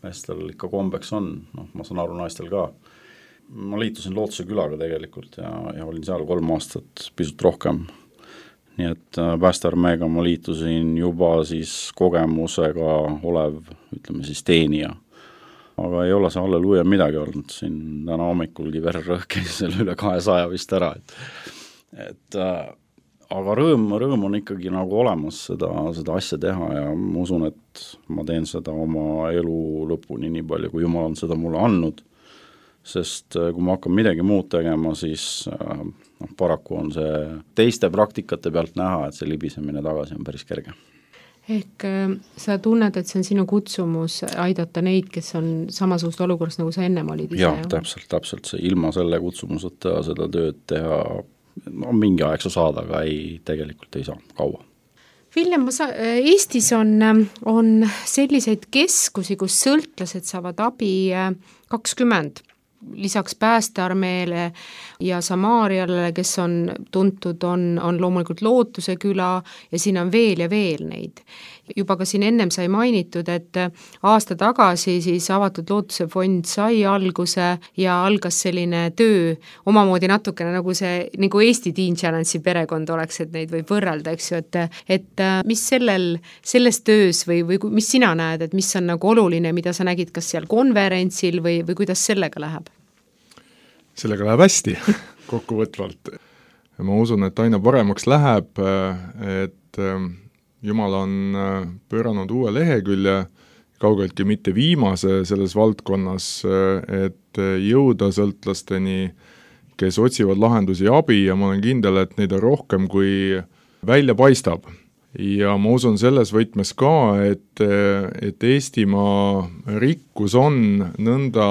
meestel ikka kombeks on, noh, ma saan aru naistel ka. Ma liitusin Lootuse külaga tegelikult ja, ja olin seal kolm aastat pisut rohkem. nii et päästearmeega ma liitusin juba siis kogemusega olev, ütleme siis teenija. Aga ei ole see halleluuja midagi olnud, siin täna hommikulgi vererõhk käis seal üle kahesaja vist ära, et, et aga rõõm, rõõm on ikkagi nagu olemas seda, seda asja teha ja ma usun, et ma teen seda oma elu lõpuni nii palju, kui Jumal on seda mulle andnud, sest kui ma hakkan midagi muud tegema, siis noh, paraku on see teiste praktikate pealt näha, et see libisemine tagasi on päris kerge. Ehk sa tunned, et see on sinu kutsumus aidata neid, kes on samasugust olukorras, nagu sa ennem olid ise? Jah, täpselt, täpselt see ilma selle kutsumuseta seda tööd teha no mingi aeg sa saad, aga ei, tegelikult ei saa kaua. Viljem, ma sa-, Eestis on, on selliseid keskusi, kus sõltlased saavad abi kakskümmend, lisaks päästearmeele ja Samaariale, kes on tuntud, on, on loomulikult Lootuse küla ja siin on veel ja veel neid. Juba ka siin ennem sai mainitud, et aasta tagasi siis avatud Lootuse fond sai alguse ja algas selline töö omamoodi natukene nagu see, nagu Eesti Teen Challenge'i perekond oleks, et neid võib võrrelda, eks ju, et, et mis sellel, selles töös või, või mis sina näed, et mis on nagu oluline, mida sa nägid kas seal konverentsil või, või kuidas sellega läheb? Sellega läheb hästi kokkuvõtvalt. Ma usun, et aina paremaks läheb, et Jumal on pööranud uue lehekülje, kaugeltki mitte viimase selles valdkonnas, et jõuda sõltlasteni, kes otsivad lahendusi ja abi ja ma olen kindel, et neid on rohkem kui välja paistab. Ja ma usun selles võtmes ka, et, et Eestimaa rikkus on nõnda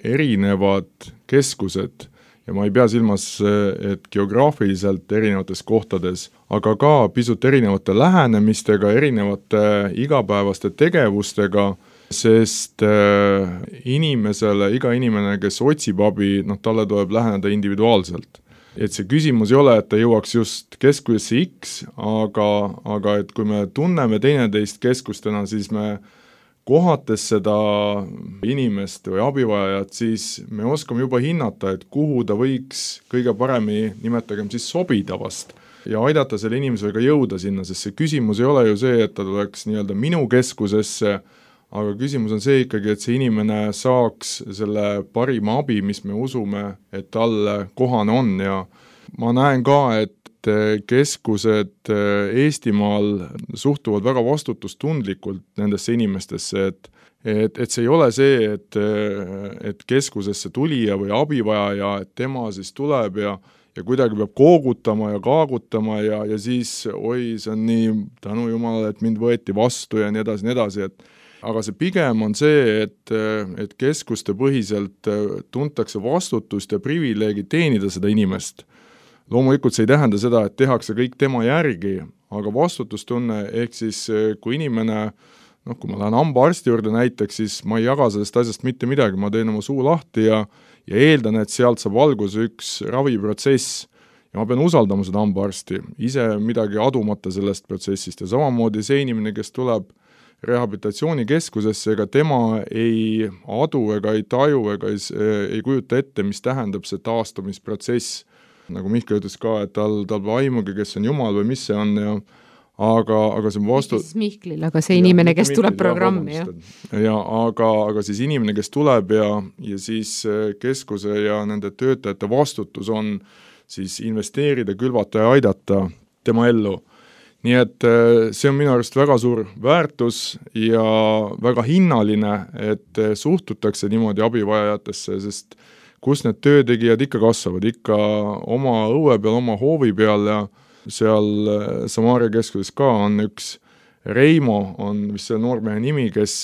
erinevad keskused ja ma ei pea silmas, et geograafiliselt erinevates kohtades, aga ka pisut erinevate lähenemistega, erinevate igapäevaste tegevustega, sest inimesele, iga inimene, kes otsib abi, noh, talle tuleb läheneda individuaalselt. Et see küsimus ei ole, et ta jõuaks just keskusesse X, aga, aga et kui me tunneme teineteist keskustena, siis me kohates seda inimest või abivajajat, siis me oskame juba hinnata, et kuhu ta võiks kõige paremini, nimetagem siis sobida vast, ja aidata selle inimesega jõuda sinna, sest see küsimus ei ole ju see, et ta tuleks nii-öelda minu keskusesse, aga küsimus on see ikkagi, et see inimene saaks selle parima abi, mis me usume, et talle kohane on ja ma näen ka, et keskused Eestimaal suhtuvad väga vastutustundlikult nendesse inimestesse, et, et, et see ei ole see, et, et keskusesse tulija või abivajaja, et tema siis tuleb ja, ja kuidagi peab koogutama ja kaagutama ja, ja siis oi, see on nii tänu Jumalale, et mind võeti vastu ja nii edasi, nii edasi, et aga see pigem on see, et, et keskuste põhiselt tuntakse vastutust ja privileegi teenida seda inimest. Loomulikult see ei tähenda seda, et tehakse kõik tema järgi, aga vastutustunne ehk siis kui inimene, noh, kui ma lähen hambaarsti juurde näiteks, siis ma ei jaga sellest asjast mitte midagi, ma teen oma suu lahti ja, ja eeldan, et sealt saab alguse üks raviprotsess ja ma pean usaldama seda hambaarsti, ise midagi adumata sellest protsessist ja samamoodi see inimene, kes tuleb rehabilitatsioonikeskusesse, ega tema ei adu ega ei taju ega ei, ei kujuta ette, mis tähendab see taastumisprotsess. Nagu Mihkel ütles ka, et tal, tal aimugi, kes on Jumal või mis see on ja aga, aga see on vastu... Mis Mihklil, aga see inimene, kes Mihklil, tuleb programmi. Ja, ja aga, aga siis inimene, kes tuleb ja, ja siis keskuse ja nende töötajate vastutus on siis investeerida, külvata ja aidata tema ellu. Nii et see on minu arust väga suur väärtus ja väga hinnaline, et suhtutakse niimoodi abivajajatesse, sest kus need töötegijad ikka kasvavad, ikka oma õue peal, oma hoovi peal ja seal Samaaria keskuses ka on üks Reimo, on vist see noormehe nimi, kes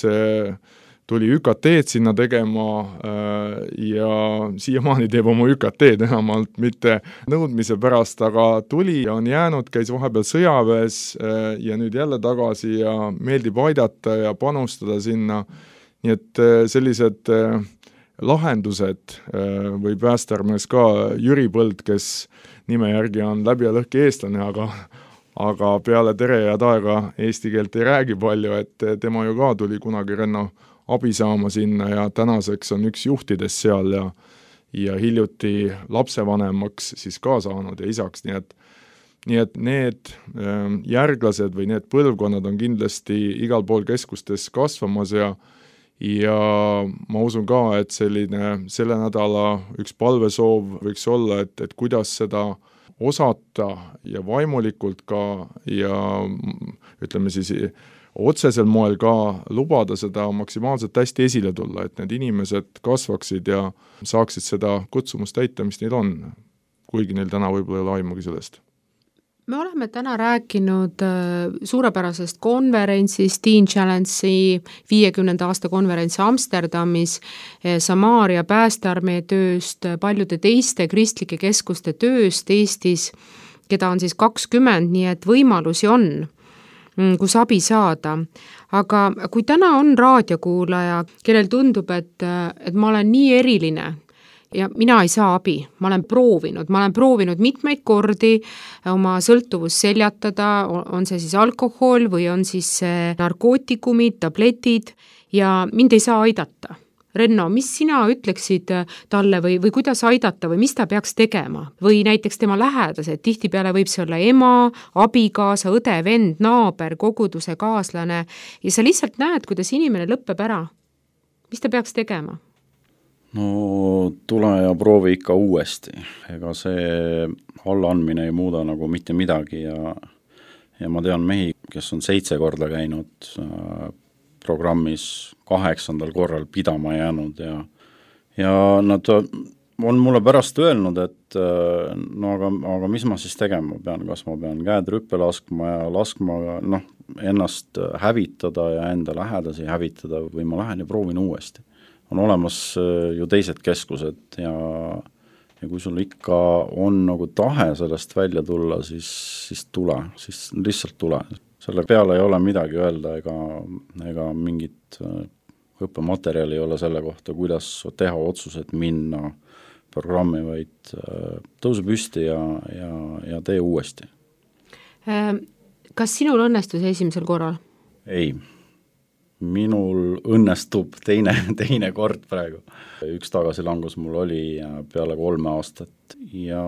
tuli Ü K T-d sinna tegema ja siiamaani teeb oma Ü K T-d enamalt mitte nõudmise pärast, aga tuli ja on jäänud, käis vahepeal sõjaväes ja nüüd jälle tagasi ja meeldib aidata ja panustada sinna. Nii et sellised lahendused või päästearmees ka Jüri Põld, kes nime järgi on läbi ja lõhki eestlane, aga aga peale tere ja taega eesti keelt ei räägi palju, et tema ju ka tuli kunagi Renno abi saama sinna ja tänaseks on üks juhtides seal ja, ja hiljuti lapsevanemaks siis ka saanud ja isaks, nii et, nii et need järglased või need põlvkonnad on kindlasti igal pool keskustes kasvamas ja ja ma usun ka, et selline selle nädala üks palvesoov võiks olla, et, et kuidas seda osata ja vaimulikult ka ja ütleme siis otsesel moel ka lubada seda maksimaalselt hästi esile tulla, et need inimesed kasvaksid ja saaksid seda kutsumust täita, mis neil on, kuigi neil täna võib-olla ei ole aimugi sellest. Me oleme täna rääkinud suurepärasest konverentsist, Teen Challenge'i viiekümnenda aasta konverents Amsterdamis, Samaaria päästearmee tööst, paljude teiste kristlike keskuste tööst Eestis, keda on siis kakskümmend, nii et võimalusi on, kus abi saada. Aga kui täna on raadiokuulaja, kellel tundub, et, et ma olen nii eriline, ja mina ei saa abi, ma olen proovinud, ma olen proovinud mitmeid kordi oma sõltuvust seljatada, on see siis alkohol või on siis narkootikumid, tabletid ja mind ei saa aidata. Renno, mis sina ütleksid talle või, või kuidas aidata või mis ta peaks tegema? Või näiteks tema lähedased, tihtipeale võib see olla ema, abikaasa, õde, vend, naaber, koguduse kaaslane ja sa lihtsalt näed, kuidas inimene lõppeb ära. Mis ta peaks tegema? No tule ja proovi ikka uuesti, ega see allaandmine ei muuda nagu mitte midagi ja, ja ma tean mehi, kes on seitse korda käinud äh, programmis kaheksandal korral pidama jäänud ja, ja nad on mulle pärast öelnud, et äh, no aga, aga mis ma siis tegema pean, kas ma pean käed rüppe laskma ja laskma noh, ennast hävitada ja enda lähedasi hävitada või ma lähen ja proovin uuesti. On olemas ju teised keskused ja, ja kui sul ikka on nagu tahe sellest välja tulla, siis, siis tule, siis lihtsalt tule. Selle peale ei ole midagi öelda ega, ega mingit õppematerjali ei ole selle kohta, kuidas teha otsused minna programmi, vaid tõuse püsti ja, ja, ja tee uuesti. Kas sinul õnnestus esimesel korral? Ei. Minul õnnestub teine, teine kord praegu. Üks tagasilangus mul oli peale kolme aastat ja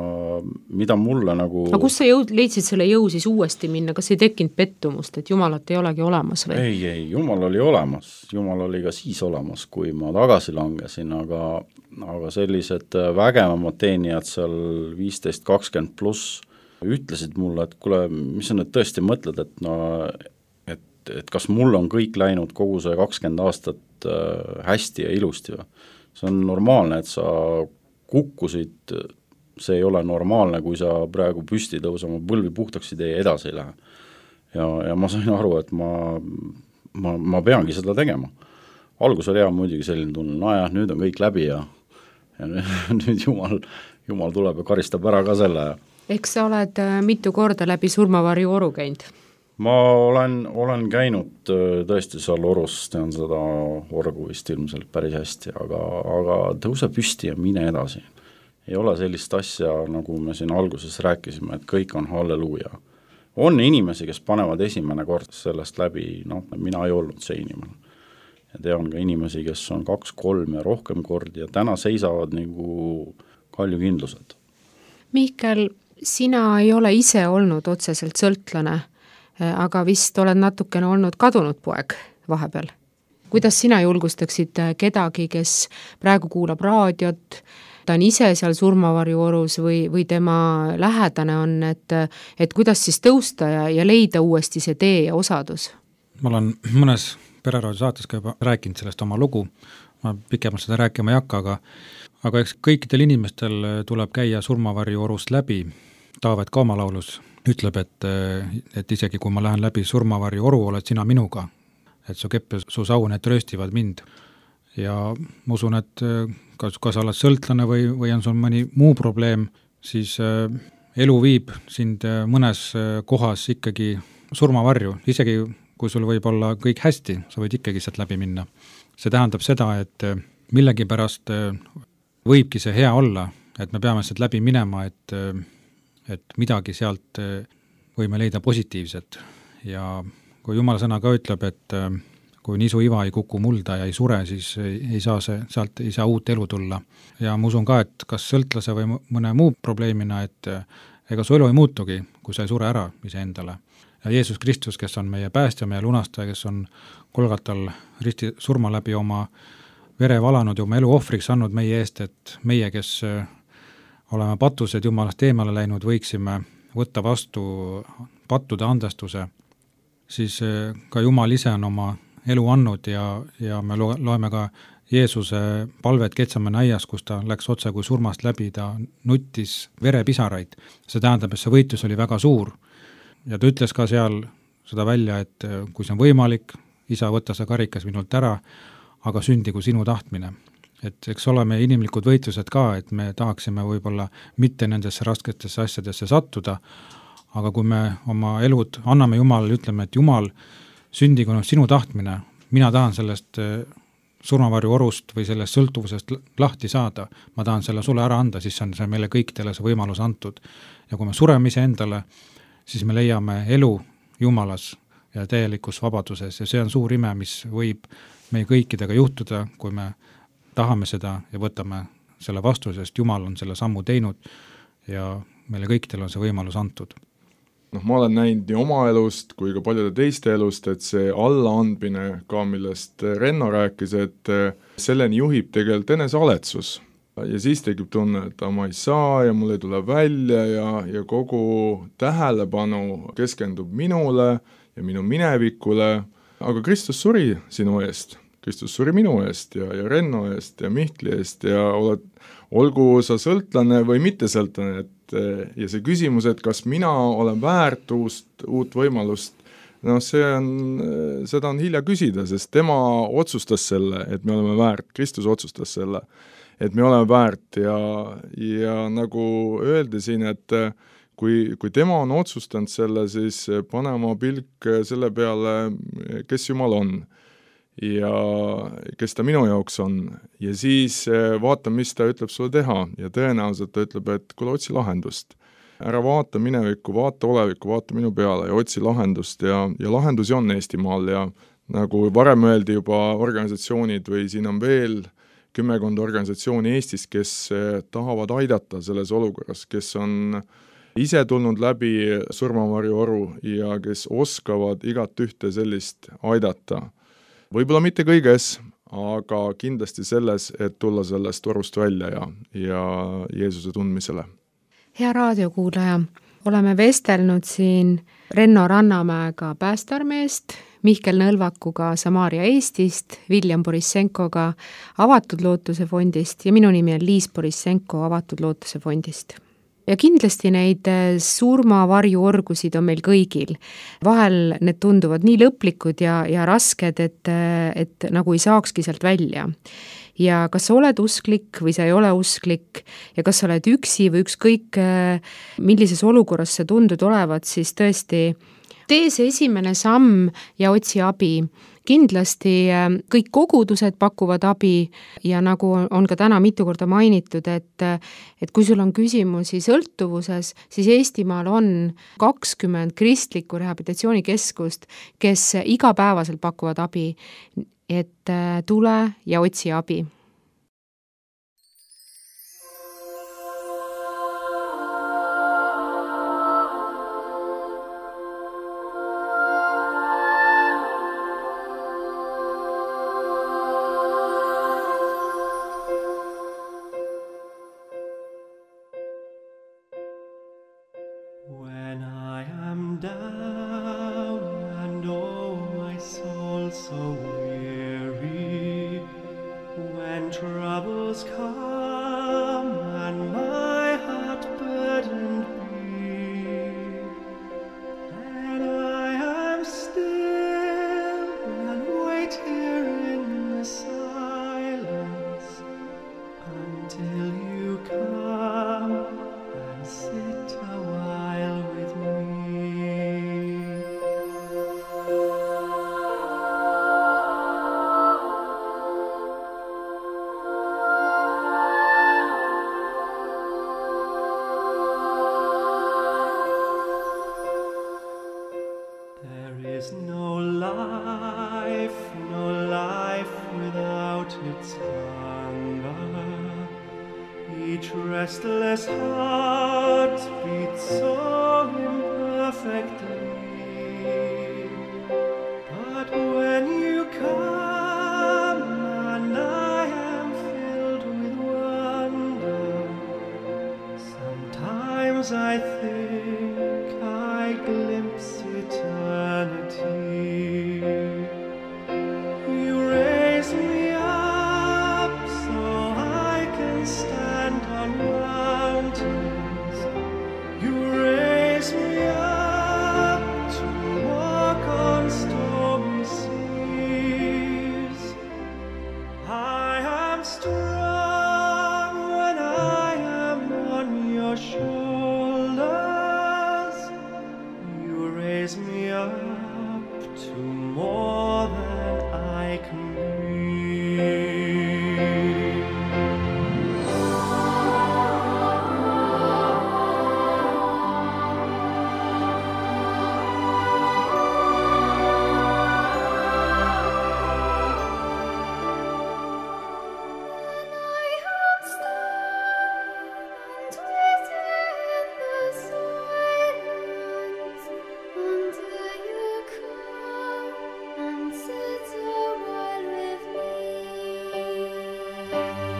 mida mulle nagu... Aga kus sa jõud, leidsid selle jõu siis uuesti minna? Kas ei tekkinud pettumust, et Jumalat ei olegi olemas? Või? Ei, ei, Jumal oli olemas. Jumal oli ka siis olemas, kui ma tagasi langesin, aga, aga sellised vägevamad teenijad seal viisteist kakskümmend pluss ütlesid mulle, et kuule, mis sa nüüd tõesti mõtled, et no... et kas mul on kõik läinud kogu see kakskümmend aastat hästi ja ilusti või. See on normaalne, et sa kukkusid, see ei ole normaalne, kui sa praegu püsti tõusama põlvi puhtaks ei tee ja edasi ei lähe. Ja, ja ma sain aru, et ma, ma, ma peangi seda tegema. Algus oli hea muidugi selline tunne, no jah, nüüd on kõik läbi ja, ja nüüd Jumal, Jumal tuleb ja karistab ära ka selle. Eks sa oled mitu korda läbi surmavarju oru käinud? Ma olen, olen käinud tõesti seal orus, tean seda orgu vist ilmselt päris hästi, aga, aga tõuse püsti ja mine edasi. Ei ole sellist asja, nagu me siin alguses rääkisime, et kõik on halleluuja. On inimesi, kes panevad esimene kord sellest läbi, noh, mina ei olnud see inimene. Ja tean ka inimesi, kes on kaks, kolm ja rohkem kordi ja täna seisavad nagu kaljukindlused. Mihkel, sina ei ole ise olnud otseselt sõltlane, aga vist oled natukene olnud kadunud poeg vahepeal. Kuidas sina julgustaksid kedagi, kes praegu kuulab raadiot, ta on ise seal surmavarju orus või, või tema lähedane on, et, et kuidas siis tõusta ja, ja leida uuesti see tee ja osadus? Ma olen mõnes pereraadio saates ka juba rääkinud sellest oma lugu, ma pikemalt seda rääkima ei hakka, aga, aga eks kõikidel inimestel tuleb käia surmavarju orust läbi. Taavet ka oma laulus ütleb, et, et isegi kui ma lähen läbi surmavarju oru, oled sina minuga, et su kepp ja su sau, need trööstivad mind. Ja ma usun, et kas, kas oled sõltlane või, või on sul mõni muu probleem, siis elu viib sind mõnes kohas ikkagi surmavarju, isegi kui sul võib olla kõik hästi, sa võid ikkagi sealt läbi minna. See tähendab seda, et millegi pärast võibki see hea olla, et me peame sealt läbi minema, et et midagi sealt võime leida positiivset ja kui Jumala sõna ka ütleb, et kui nisu iva ei kuku mulda ja ei sure, siis ei saa see, sealt ei saa uut elu tulla. Ja ma usun ka, et kas sõltlase või mõne muu probleemina, et, ega su elu ei muutugi, kui sa ei sure ära iseendale. Ja Jeesus Kristus, kes on meie päästja, meie lunastaja, kes on Golgatal risti surma läbi oma vere valanud ja oma elu ohvriks andnud meie eest, et meie, kes oleme patused Jumalast eemale läinud, võiksime võtta vastu pattude andestuse, siis ka Jumal ise on oma elu andnud ja, ja me loeme ka Jeesuse palvet Getsemani aias, kus ta läks otse kui surmast läbi, ta nuttis verepisaraid. See tähendab, et see võitlus oli väga suur. Ja ta ütles ka seal seda välja, et kui see on võimalik, isa, võtta see karikas minult ära, aga sündigu sinu tahtmine. Et eks oleme inimlikud võitlused ka, et me tahaksime võib-olla mitte nendesse rasketesse asjadesse sattuda, aga kui me oma elud anname Jumalale, ütleme, et Jumal, sündigu sinu tahtmine, mina tahan sellest surmavarju orust või sellest sõltuvusest lahti saada, ma tahan selle sulle ära anda, siis on see meile kõikidele see võimalus antud. Ja kui me sureme ise endale, siis me leiame elu Jumalas ja täielikus vabaduses ja see on suur ime, mis võib meie kõikidega juhtuda, kui me tahame seda ja võtame selle vastu, sest Jumal on selle sammu teinud ja meile kõikidel on see võimalus antud. Noh, ma olen näinud nii oma elust kui ka paljude teiste elust, et see allaandmine ka, millest Renno rääkis, et selleni juhib tegelikult enesealetsus. Ja siis tekib tunne, et ma ei saa ja mul ei tule välja ja, ja kogu tähelepanu keskendub minule ja minu minevikule, aga Kristus suri sinu eest. Kristus suri minu eest ja, ja Renno eest ja Mihkli eest ja oled, olgu sa sõltlane või mitte sõltlane, et ja see küsimus, et kas mina olen väärt uust, uut võimalust, no see on, seda on hilja küsida, sest tema otsustas selle, et me oleme väärt, Kristus otsustas selle, et me oleme väärt ja, ja nagu öeldi siin, et kui, kui tema on otsustanud selle, siis pane oma pilk selle peale, kes Jumal on ja kes ta minu jaoks on ja siis vaata, mis ta ütleb sulle teha ja tõenäoliselt ta ütleb, et kuule, otsi lahendust. Ära vaata minevikku, vaata olevikku, vaata minu peale ja otsi lahendust ja, ja lahendusi on Eestimaal ja nagu varem öeldi juba organisatsioonid või siin on veel kümmekond organisatsiooni Eestis, kes tahavad aidata selles olukorras, kes on ise tulnud läbi surmavarju oru ja kes oskavad igat ühte sellist aidata. Võib-olla mitte kõiges, aga kindlasti selles, et tulla sellest orust välja ja, ja Jeesuse tundmisele. Hea raadiokuulaja, oleme vestelnud siin Renno Rannamäega Päästearmeest, Mihkel Nõlvakuga Samaaria Eestist, William Borissenkoga Avatud Lootuse fondist ja minu nimi on Liis Borissenko Avatud Lootuse fondist. Ja kindlasti neid surmavarjuorgusid on meil kõigil. Vahel need tunduvad nii lõplikud ja, ja rasked, et, et nagu ei saakski sealt välja. Ja kas sa oled usklik või sa ei ole usklik ja kas sa oled üksi või ükskõik millises olukorras sa tundud olevat, siis tõesti tee see esimene samm ja otsi abi. Kindlasti kõik kogudused pakuvad abi ja nagu on ka täna mitu korda mainitud, et, et kui sul on küsimusi sõltuvuses, siis Eestimaal on kakskümmend kristlikku rehabilitatsioonikeskust, kes igapäevaselt pakuvad abi, et tule ja otsi abi. When I am down and oh my soul so weary, when troubles come and my heart burdened be, and I am still and wait here in the silence until you come and sit a while with me. There is no life, no life without its hunger. Each Each restless heart beats so imperfectly. But when you come and I am filled with wonder, sometimes I think I glimpse eternity. You raise me up so I can stand on mountains. You raise me up to walk on stormy seas. I am strong when I am on your shoulders. You raise me up to more than I can be.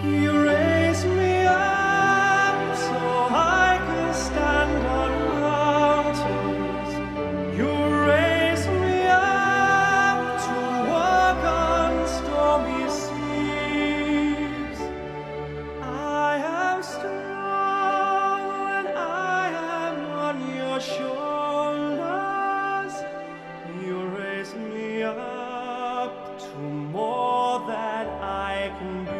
You raise me up so I can stand on mountains. You raise me up to walk on stormy seas. I am strong when I am on your shoulders. You raise me up to more than I can be.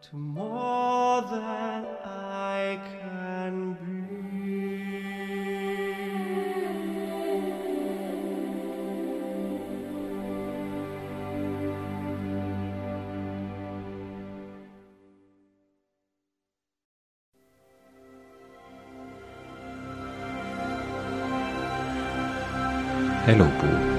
To more than I can be. Elupuu.